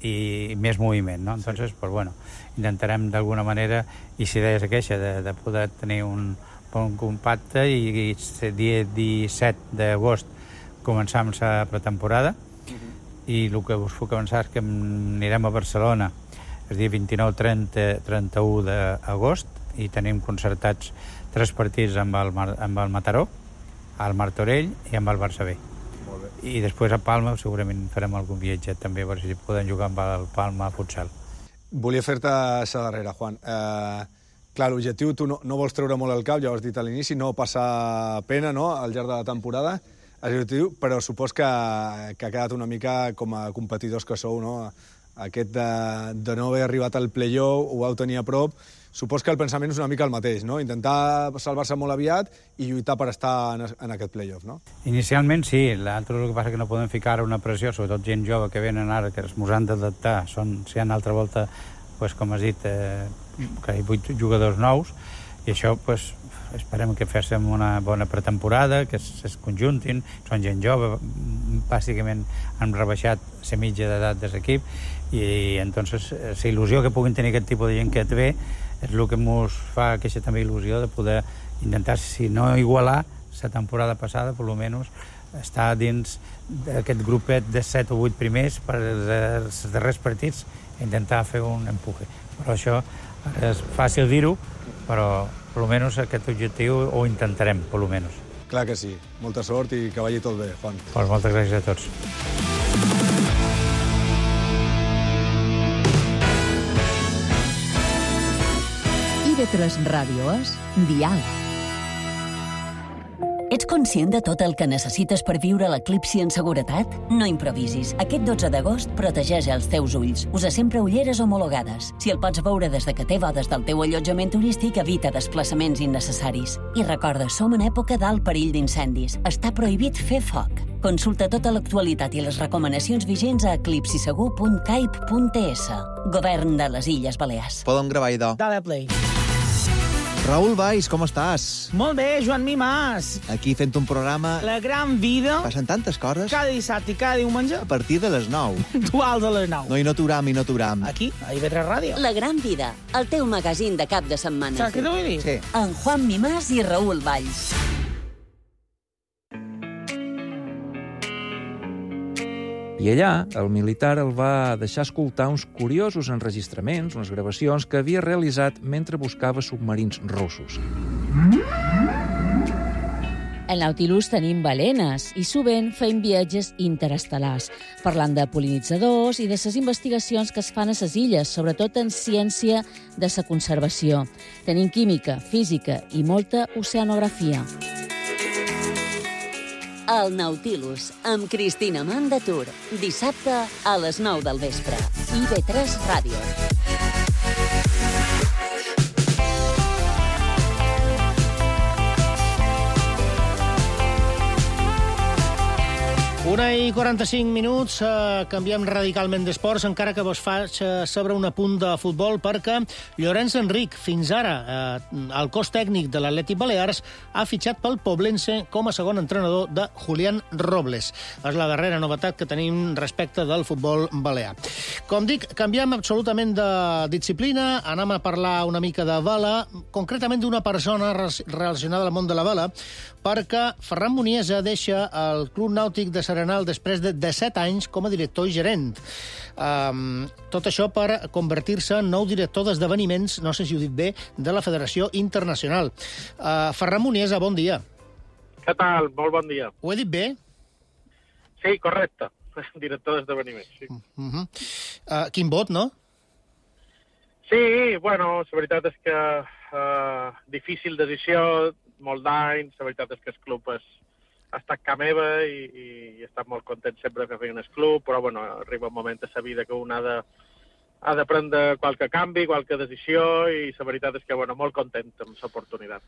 i més moviment, no? Entonces, pues bueno, intentarem d'alguna manera, i si deies aquesta, de poder tenir un bon compacte i el dia 17 d'agost començam la pretemporada i el que us puc avançar és que anirem a Barcelona el dia 29, 30, 31 d'agost i tenim concertats 3 partits amb el Mataró, al Martorell i amb el Barça B. I després a Palma segurament farem algun viatge també per si podem jugar amb el Palma Futsal. Volia fer-te la darrera, Juan. Clar, l'objectiu tu no vols treure molt el cap, ja ho has dit a l'inici, no passar pena, no?, al llarg de la temporada, però supos que ha quedat una mica com a competidors que sou, no?, aquest de no haver arribat al play-off, ho vau tenir a prop. Supos que el pensament és una mica el mateix, no?, intentar salvar-se molt aviat i lluitar per estar en aquest play-off, no? Inicialment sí, l'altre el que passa que no podem ficar una pressió, sobretot gent jove que venen ara, que es mos han d'adaptar, si hi ha una altra volta, pues, com has dit, que hi ha 8 jugadors nous, i això, pues, esperem que féssim una bona pretemporada, que es conjuntin, són gent jove, bàsicament han rebaixat la mitja d'edat de l'equip, i entonces la il·lusió que puguin tenir aquest tipus de gent que et ve és el que ens fa aquesta també il·lusió de poder intentar, si no igualar la temporada passada, per almenys estar dins d'aquest grupet de 7 o 8 primers per els darrers partits i intentar fer un empuje. Però això És fàcil dir-ho, però almenys aquest objectiu ho intentarem, almenys. Clar que sí. Molta sort i que vagi tot bé, Juan. Pues moltes gràcies a tots. IB3 Ràdio és Diàleg. Ets conscient de tot el que necessites per viure l'eclipsi en seguretat? No improvisis. Aquest 12 d'agost protegeix els teus ulls. Usa sempre ulleres homologades. Si el pots veure des de que té bodes del teu allotjament turístic, evita desplaçaments innecessaris. I recorda, som en època d'alt perill d'incendis. Està prohibit fer foc. Consulta tota l'actualitat i les recomanacions vigents a eclipsisegur.caip.es. Govern de les Illes Balears. Podem gravar, idò. Dale play. Raül Valls, com estàs? Molt bé, Joan Mimàs. Aquí fent un programa... La gran vida. Passen tantes coses. Cada dissabte i cada diumenge. A partir de les 9. Duals a les 9. No, i no t'uram. Aquí, a IB3 Ràdio. La gran vida, el teu magazín de cap de setmana. Saps què t'ho vull dir? Sí. En Juan Mimàs i Raül Valls. I allà, el militar el va deixar escoltar uns curiosos enregistraments, unes gravacions que havia realitzat mentre buscava submarins russos. Al Nautilus tenim balenes i sovint fem viatges interestel·lars, parlant de pol·linitzadors i de les investigacions que es fan a les illes, sobretot en ciència de la conservació. Tenim química, física i molta oceanografia. El Nautilus, amb Cristina Mandatur. Dissabte a les 9 del vespre. IB3 Ràdio. Una i 45 minuts, canviem radicalment d'esports, encara que vos faig sobre un apunt de futbol, perquè Llorenç Enric, fins ara el cos tècnic de l'Atlètic Balears, ha fitxat pel Poblense com a segon entrenador de Julián Robles. És la darrera novetat que tenim respecte del futbol balear. Com dic, canviem absolutament de disciplina, anem a parlar una mica de vela, concretament d'una persona relacionada al món de la vela, perquè Ferran Muniesa deixa el Club Nàutic de Serenal després de 17 anys com a director i gerent. Tot això per convertir-se en nou director d'esdeveniments, no sé si ho dic bé, de la Federació Internacional. Ferran Muniesa, bon dia. Què tal? Molt bon dia. Ho he dit bé? Sí, correcte. Director d'esdeveniments, sí. Quin vot, no? Sí, bueno, la veritat és que difícil decisió, molt d'anys, la veritat és que el club ha estat ca meva i he estat molt content sempre que feien el club, però bueno, arriba un moment a la vida que un ha de prendre qualque canvi, qualque decisió, i la veritat és que, bueno, molt content amb l'oportunitat.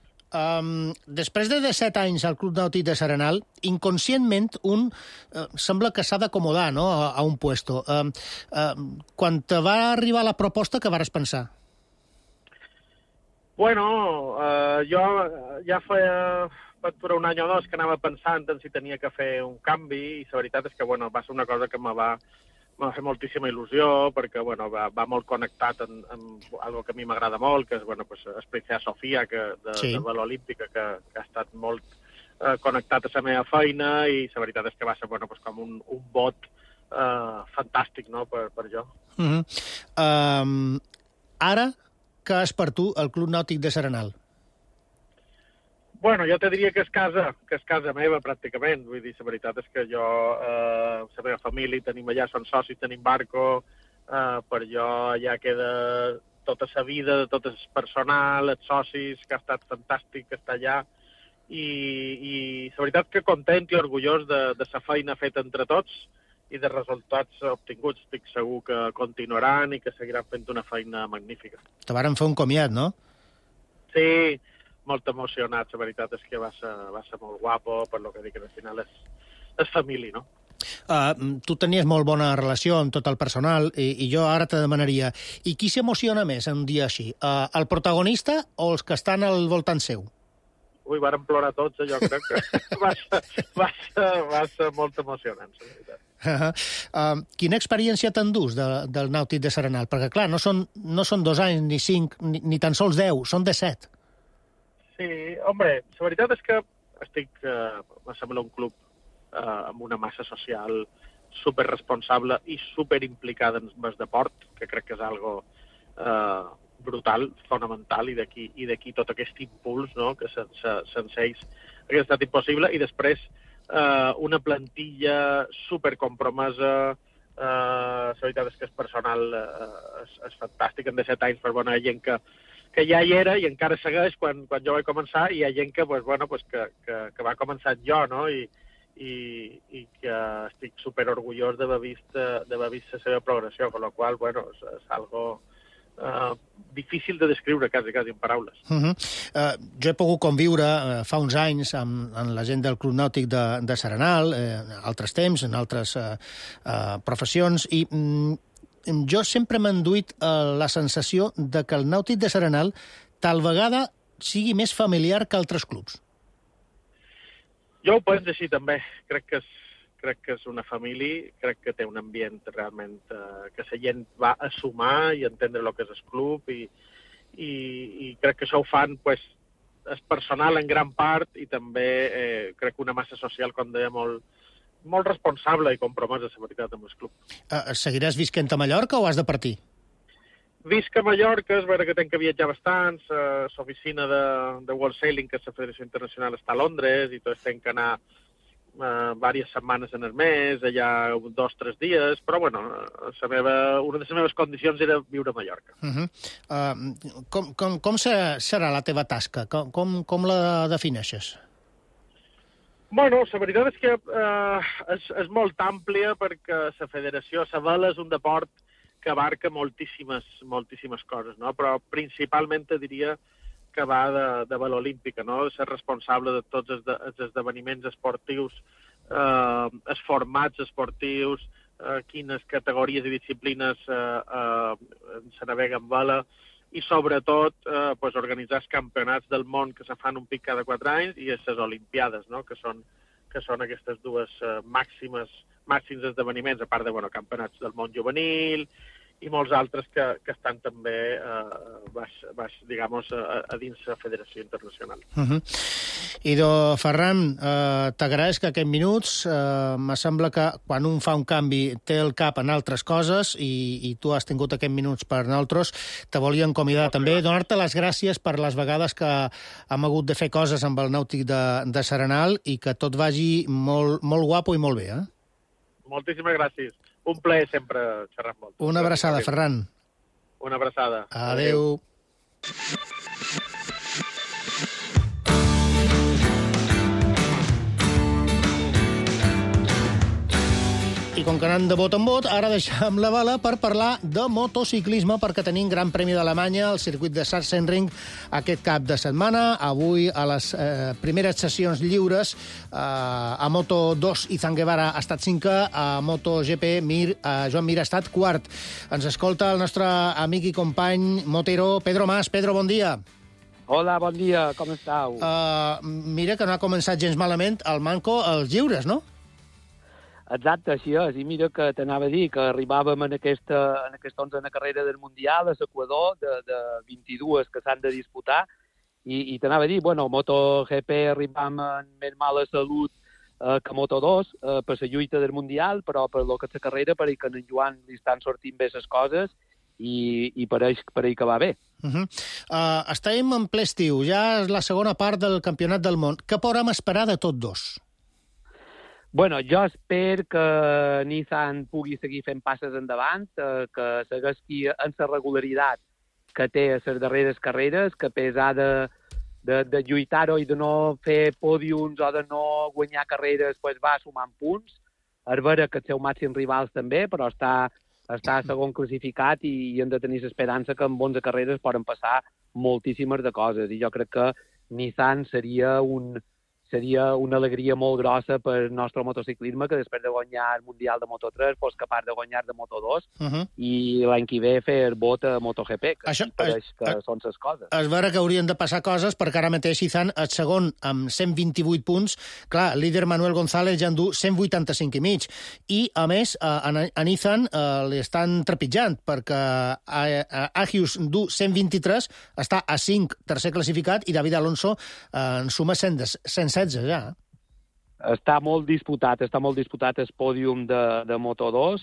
Després de 17 anys al Club Nàutic de Serenal, inconscientment un sembla que s'ha d'acomodar, no?, a un puesto. Quan te va arribar la proposta, què vas pensar? Bueno, jo ja feia per un any o dos que anava pensant en si tenia que fer un canvi, i la veritat és que, bueno, va ser una cosa que me va fer moltíssima il·lusió, perquè, bueno, va molt connectat amb algo que a mi m'agrada molt, que és, bueno, pues, Princesa Sofia, de vela olímpica, que ha estat molt connectat a la meva feina, i la veritat és que va ser, bueno, pues, com un vot fantàstic, no?, per jo. Ara, què és per tu el Club Nàutic de Serenal? Bueno, jo te diria que és casa meva, pràcticament. Vull dir, la veritat és que jo, la meva família, tenim allà, són socis, tenim barco, per jo allà queda tota la vida, tot el personal, els socis, que ha estat fantàstic estar allà, i la veritat que content i orgullós de la feina feta entre tots i de resultats obtinguts. Estic segur que continuaran i que seguiran fent una feina magnífica. Te varen fer un comiat, no? Sí, molt emocionat. La veritat és que va ser molt guapo, per lo que dic, que al final és família, no? Tu tenies molt bona relació amb tot el personal, i jo ara te demanaria, i qui s'emociona més un dia així? El protagonista o els que estan al voltant seu? Ui, varen plorar tots, jo crec que va ser molt emocionant, la veritat. Quina experiència t'endús del Nàutic de Serenal? Perquè, clar, no són 2 anys, ni 5, ni tan sols 10, són 17. Sí, home, la veritat és que me sembla un club amb una massa social superresponsable i superimplicada en el deport, que crec que és algo brutal, fonamental, i d'aquí tot aquest impuls, no?, que sense ells hauria estat impossible, i després una plantilla supercompromesa. La veritat és que el personal és fantàstic, en 17 anys, però hi ha gent que ja hi era i encara segueix quan jo vaig començar, i hi ha gent que va començar jo, no?, i que estic superorgullós d'haver vist la seva progressió, amb la qual cosa, és algo difícil de descriure, quasi en paraules. Jo he pogut conviure fa uns anys amb la gent del Club Nàutic de Serenal, en altres temps, en altres professions, i jo sempre m'he enduit la sensació de que el Nàutic de Serenal tal vegada sigui més familiar que altres clubs. Jo ho penso així, també. Crec que és una família, crec que té un ambient realment que la gent va a sumar i entendre el que és el club, i crec que això ho fan, és personal en gran part, i també crec que una massa social, com deia, molt responsable i compromesa, la veritat, amb el club. Seguiràs visquent a Mallorca o has de partir? Visc a Mallorca, és vera que tenc que viatjar bastant, l'oficina de World Sailing, que és la Federació Internacional, està a Londres, i tots tenc que anar diverses setmanes en el mes, allà 2 o 3 dies, però una de les meves condicions era viure a Mallorca. Com serà la teva tasca? Com la defineixes? La veritat és que és molt àmplia, perquè la federació, la vela, és un deport que abarca moltíssimes coses, no? Però principalment te diria que va de vela olímpica, no? Ser responsable de tots els esdeveniments esportius, els formats esportius, quines categories i disciplines se navega en vela, i sobretot organitzar els campionats del món que se fan un pic cada 4 anys, i les olimpiades, no?, que són aquestes dues màxims esdeveniments, a part de campionats del món juvenil i molts altres que estan també a dins la Federació Internacional. Ido Ferran, t'agraeix que aquests minuts, me sembla que quan un fa un canvi té el cap en altres coses, i tu has tingut aquests minuts per nosaltres. Te volíem convidar també, donar-te les gràcies per les vegades que hem hagut de fer coses amb el Nàutic de Serenal, i que tot vagi molt guapo i molt bé, eh? Moltíssimes gràcies. Un plaer sempre xerrar amb vosaltres. Una abraçada, Ferran. Una abraçada. Adéu. I com que anem de bot en bot, ara deixem la bala per parlar de motociclisme, perquè tenim Gran Premi d'Alemanya al circuit de Sachsenring aquest cap de setmana. Avui, a les primeres sessions lliures, a Moto2 Izan Guevara ha estat 5è, a MotoGP Joan Mir ha estat 4º. Ens escolta el nostre amic i company motero Pedro Mas. Pedro, bon dia. Hola, bon dia, com estàu? Mira que no ha començat gens malament el manco als lliures, no? Exacte, així és. I mira que t'anava a dir que arribàvem en aquesta 11a carrera del Mundial a l'Equador, de 22 que s'han de disputar, i t'anava a dir, MotoGP arribam en més mala salut que Moto2 per la lluita del Mundial, però per lo que és la carrera, per que en Joan li estan sortint bé les coses, i pareix que va bé. Estem en ple estiu, ja és la segona part del Campionat del Món. Què podem esperar de tots dos? Jo espero que Nissan pugui seguir fent passes endavant, que segueixi en la regularitat que té a les darreres carreres, que a pesar de lluitar-ho i de no fer pòdiums o de no guanyar carreres, va sumant punts. És vera que els seus màxims rivals també, però està segon classificat, i hem de tenir l'esperança que en 11 carreres poden passar moltíssimes de coses. I jo crec que Nissan seria una alegria molt grossa per al nostre motociclisme, que després de guanyar el Mundial de Moto3 fos capaç de guanyar de Moto2 i l'any que ve fer el vot a MotoGP, que són les coses. És vera que haurien de passar coses, perquè ara mateix Izan és segon amb 128 punts. Clar, el líder Manuel González ja en du 185 i mig. I, a més, a Izan li estan trepitjant, perquè Agius du 123, està a 5, tercer classificat, i David Alonso en suma 116 ja. Està molt disputat el pòdium de Moto2,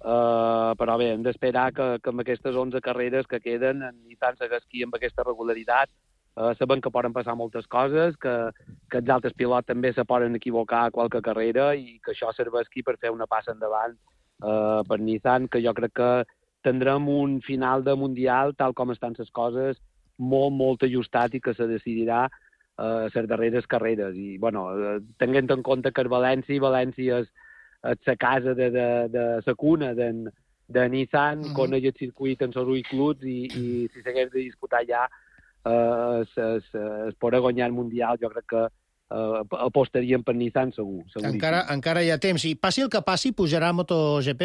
però bé, hem d'esperar que amb aquestes 11 carreres que queden en Nissan segueixi amb aquesta regularitat. Sabem que poden passar moltes coses, que els altres pilots també se poden equivocar a qualque carrera i que això serveixi per fer una passa endavant per Nissan, que jo crec que tindrem un final de Mundial, tal com estan les coses, molt, molt ajustat i que se decidirà les darreres carreres. I, bueno, tenint en compte que València és la casa de la cuna de Nissan, coneix el circuit en els uïcluts i si s'hagués de disputar ja es podrà guanyar el Mundial, jo crec que apostaríem per Nissan segur. Encara hi ha temps. I passi el que passi, pujarà a MotoGP?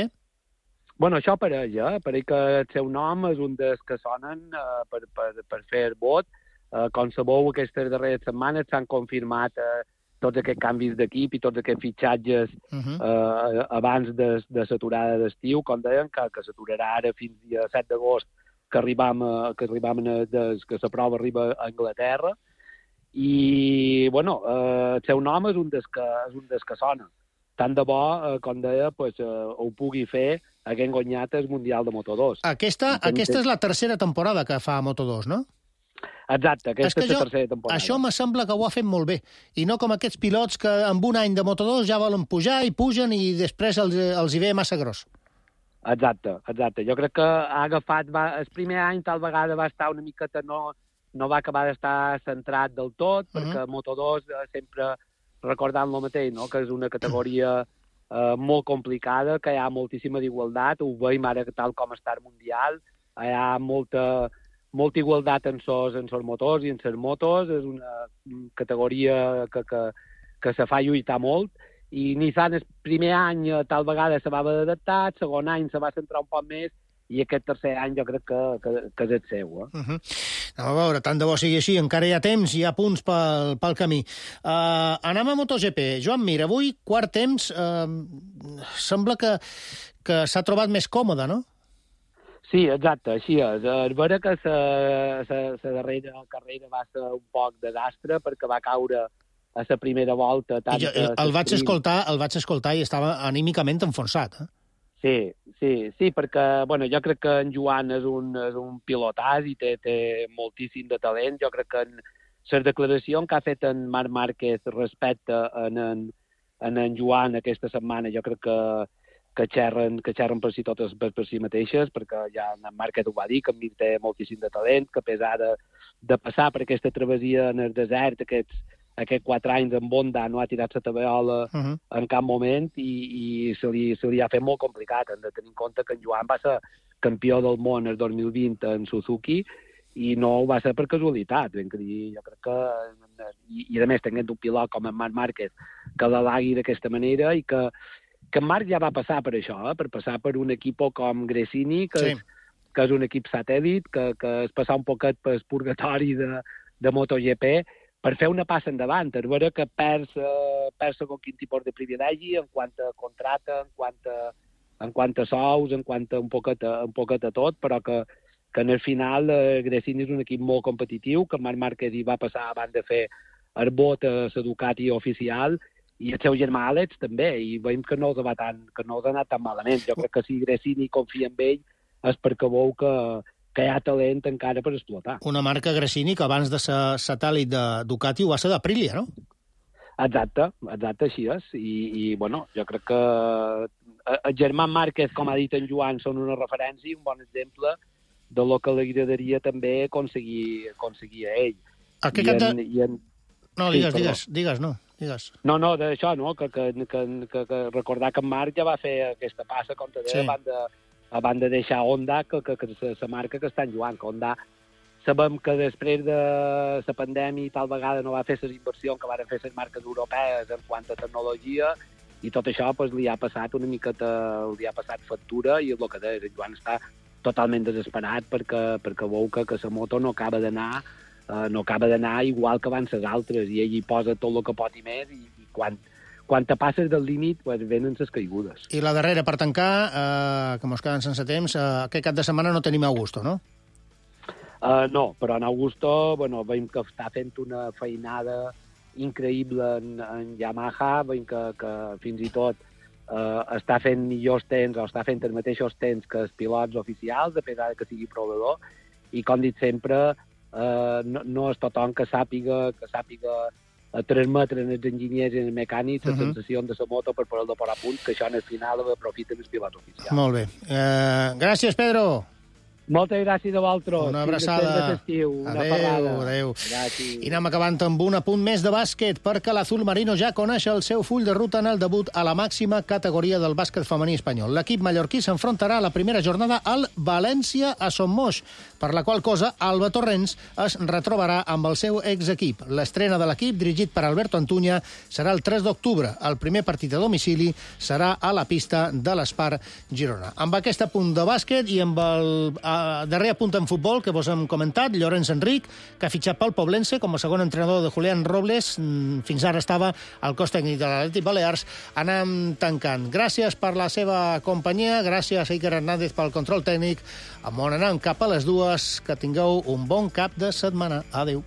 Bueno, això pareix, pareix que el seu nom és un dels que sonen per fer vot. Com sabeu, aquestes darreres setmanes s'han confirmat tots aquests canvis d'equip i tots aquests fitxatges abans de l'aturada d'estiu, com deien, que s'aturarà ara fins dia 7 d'agost, que la prova arriba a Anglaterra. I, bueno, el seu nom és un dels que sona. Tant de bo, com deia, ho pugui fer haguent guanyat el Mundial de Moto2. Aquesta és la tercera temporada que fa Moto2, no? Exacte, aquesta és la tercera temporada. Això me sembla que ho ha fet molt bé. I no com aquests pilots que amb un any de Moto2 ja volen pujar i pugen i després els hi ve massa gros. Exacte. Jo crec que ha agafat... El primer any tal vegada va estar una miqueta... No va acabar d'estar centrat del tot, perquè Moto2 sempre recordant el mateix, no? Que és una categoria molt complicada, que hi ha moltíssima d'igualtat, ho veiem ara tal com està el Mundial, hi ha molta igualtat en els motors i en les motos, és una categoria que se fa lluitar molt, i Nissan el primer any tal vegada se va haver d'adaptar, el segon any se va centrar un poc més, i aquest tercer any jo crec que és el seu. A veure, tant de bo sigui així, encara hi ha temps, hi ha punts pel camí. Anem a MotoGP. Joan Mir, avui, quart temps, sembla que s'ha trobat més còmode, no? Sí, exacte, així és. És vera que la darrera carrera va ser un poc desastre perquè va caure a la primera volta. El vaig escoltar i estava anímicament enfonsat. Sí, perquè bueno, jo crec que en Joan és un pilotàs i té moltíssim de talent. Jo crec que en les declaracions que ha fet en Marc Márquez respecte a en Joan aquesta setmana, jo crec que xerren per si totes per si mateixes, perquè ja en Márquez ho va dir, que en Mir té moltíssim de talent, que a pesar de passar per aquesta travessia en el desert, aquests 4 anys en Honda no ha tirat la tabeola en cap moment i se li ha fet molt complicat. Hem de tenir en compte que en Joan va ser campió del món el 2020 en Suzuki i no ho va ser per casualitat. Jo crec que... I a més, tenint un pilot com en Marc Márquez que l'halagui d'aquesta manera i que en Marc ja va passar per això, per passar per un equip com Gresini, que és un equip satèl·lit, que és passar un poquet pel purgatori de MotoGP, per fer una passa endavant. És vera que perds segon quin tipus de privilegi en quant a contracte, en quant a sous, en quant a un poquet a tot, però que en el final Gresini és un equip molt competitiu, que Marc Márquez hi va passar abans de fer el vot a la Ducati oficial, i el seu germà Àlex també, i veiem que no els ha anat tan malament. Jo crec que si Gresini confia en ell és perquè veu que hi ha talent encara per explotar. Una marca Gresini que abans de ser satèl·lit de Ducati ho va ser d'Aprilia, no? Exacte, així és. I bueno, jo crec que el germà Márquez, com ha dit en Joan, són una referència i un bon exemple de lo que li agradaria també aconseguir a ell. No, digues, no. No, d'això, no? Que recordar que en Marc ja va fer aquesta passa, com te deia, abans de deixar Honda, que la marca que està en Joan, que Honda sabem que després de la pandèmia tal vegada no va fer les inversions que van fer les marques europees en quant a tecnologia i tot això li ha passat una miqueta, li ha passat factura i és el que deia, en Joan està totalment desesperat perquè veu que la moto no acaba d'anar igual que abans les altres i ell hi posa tot el que pot i més i quan te passes del límit, venen les caigudes. I la darrera, per tancar, que mos queden sense temps, aquest cap de setmana no tenim Augusto, no? No, però en Augusto, veiem que està fent una feinada increïble en Yamaha, veiem que fins i tot està fent millors temps o està fent els mateixos temps que els pilots oficials, a pesar que sigui provador, i com dic sempre, no és tothom que sàpiga transmetre als enginyers i als mecànics la sensació de la moto per poder-lo posar a punt, que això en el final aprofiten els pilots oficials. Molt bé. Gràcies, Pedro. Moltes gràcies a vosaltres. Una abraçada. Adéu. I anem acabant amb un apunt més de bàsquet, perquè l'Azul Marino ja coneix el seu full de ruta en el debut a la màxima categoria del bàsquet femení espanyol. L'equip mallorquí s'enfrontarà a la primera jornada al València a Son Moix, per la qual cosa Alba Torrents es retrobarà amb el seu exequip. L'estrena de l'equip, dirigit per Alberto Antuña, serà el 3 d'octubre. El primer partit a domicili serà a la pista de l'Espar Girona. Amb aquest apunt de bàsquet i amb el darrer apunt en futbol que vos hem comentat, Llorenç Enric, que ha fitxat pel Poblense com a segon entrenador de Julián Robles. Fins ara estava al cos tècnic de l'Atlètic Balears. Anem tancant. Gràcies per la seva companyia, gràcies a Iker Hernández pel control tècnic. On anem cap a les 2. Que tingueu un bon cap de setmana. Adéu.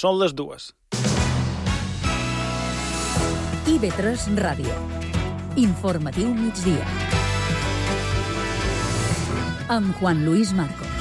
Són les 2. IB3 Ràdio. Informatiu migdia. Amb Juan Luis Marcos.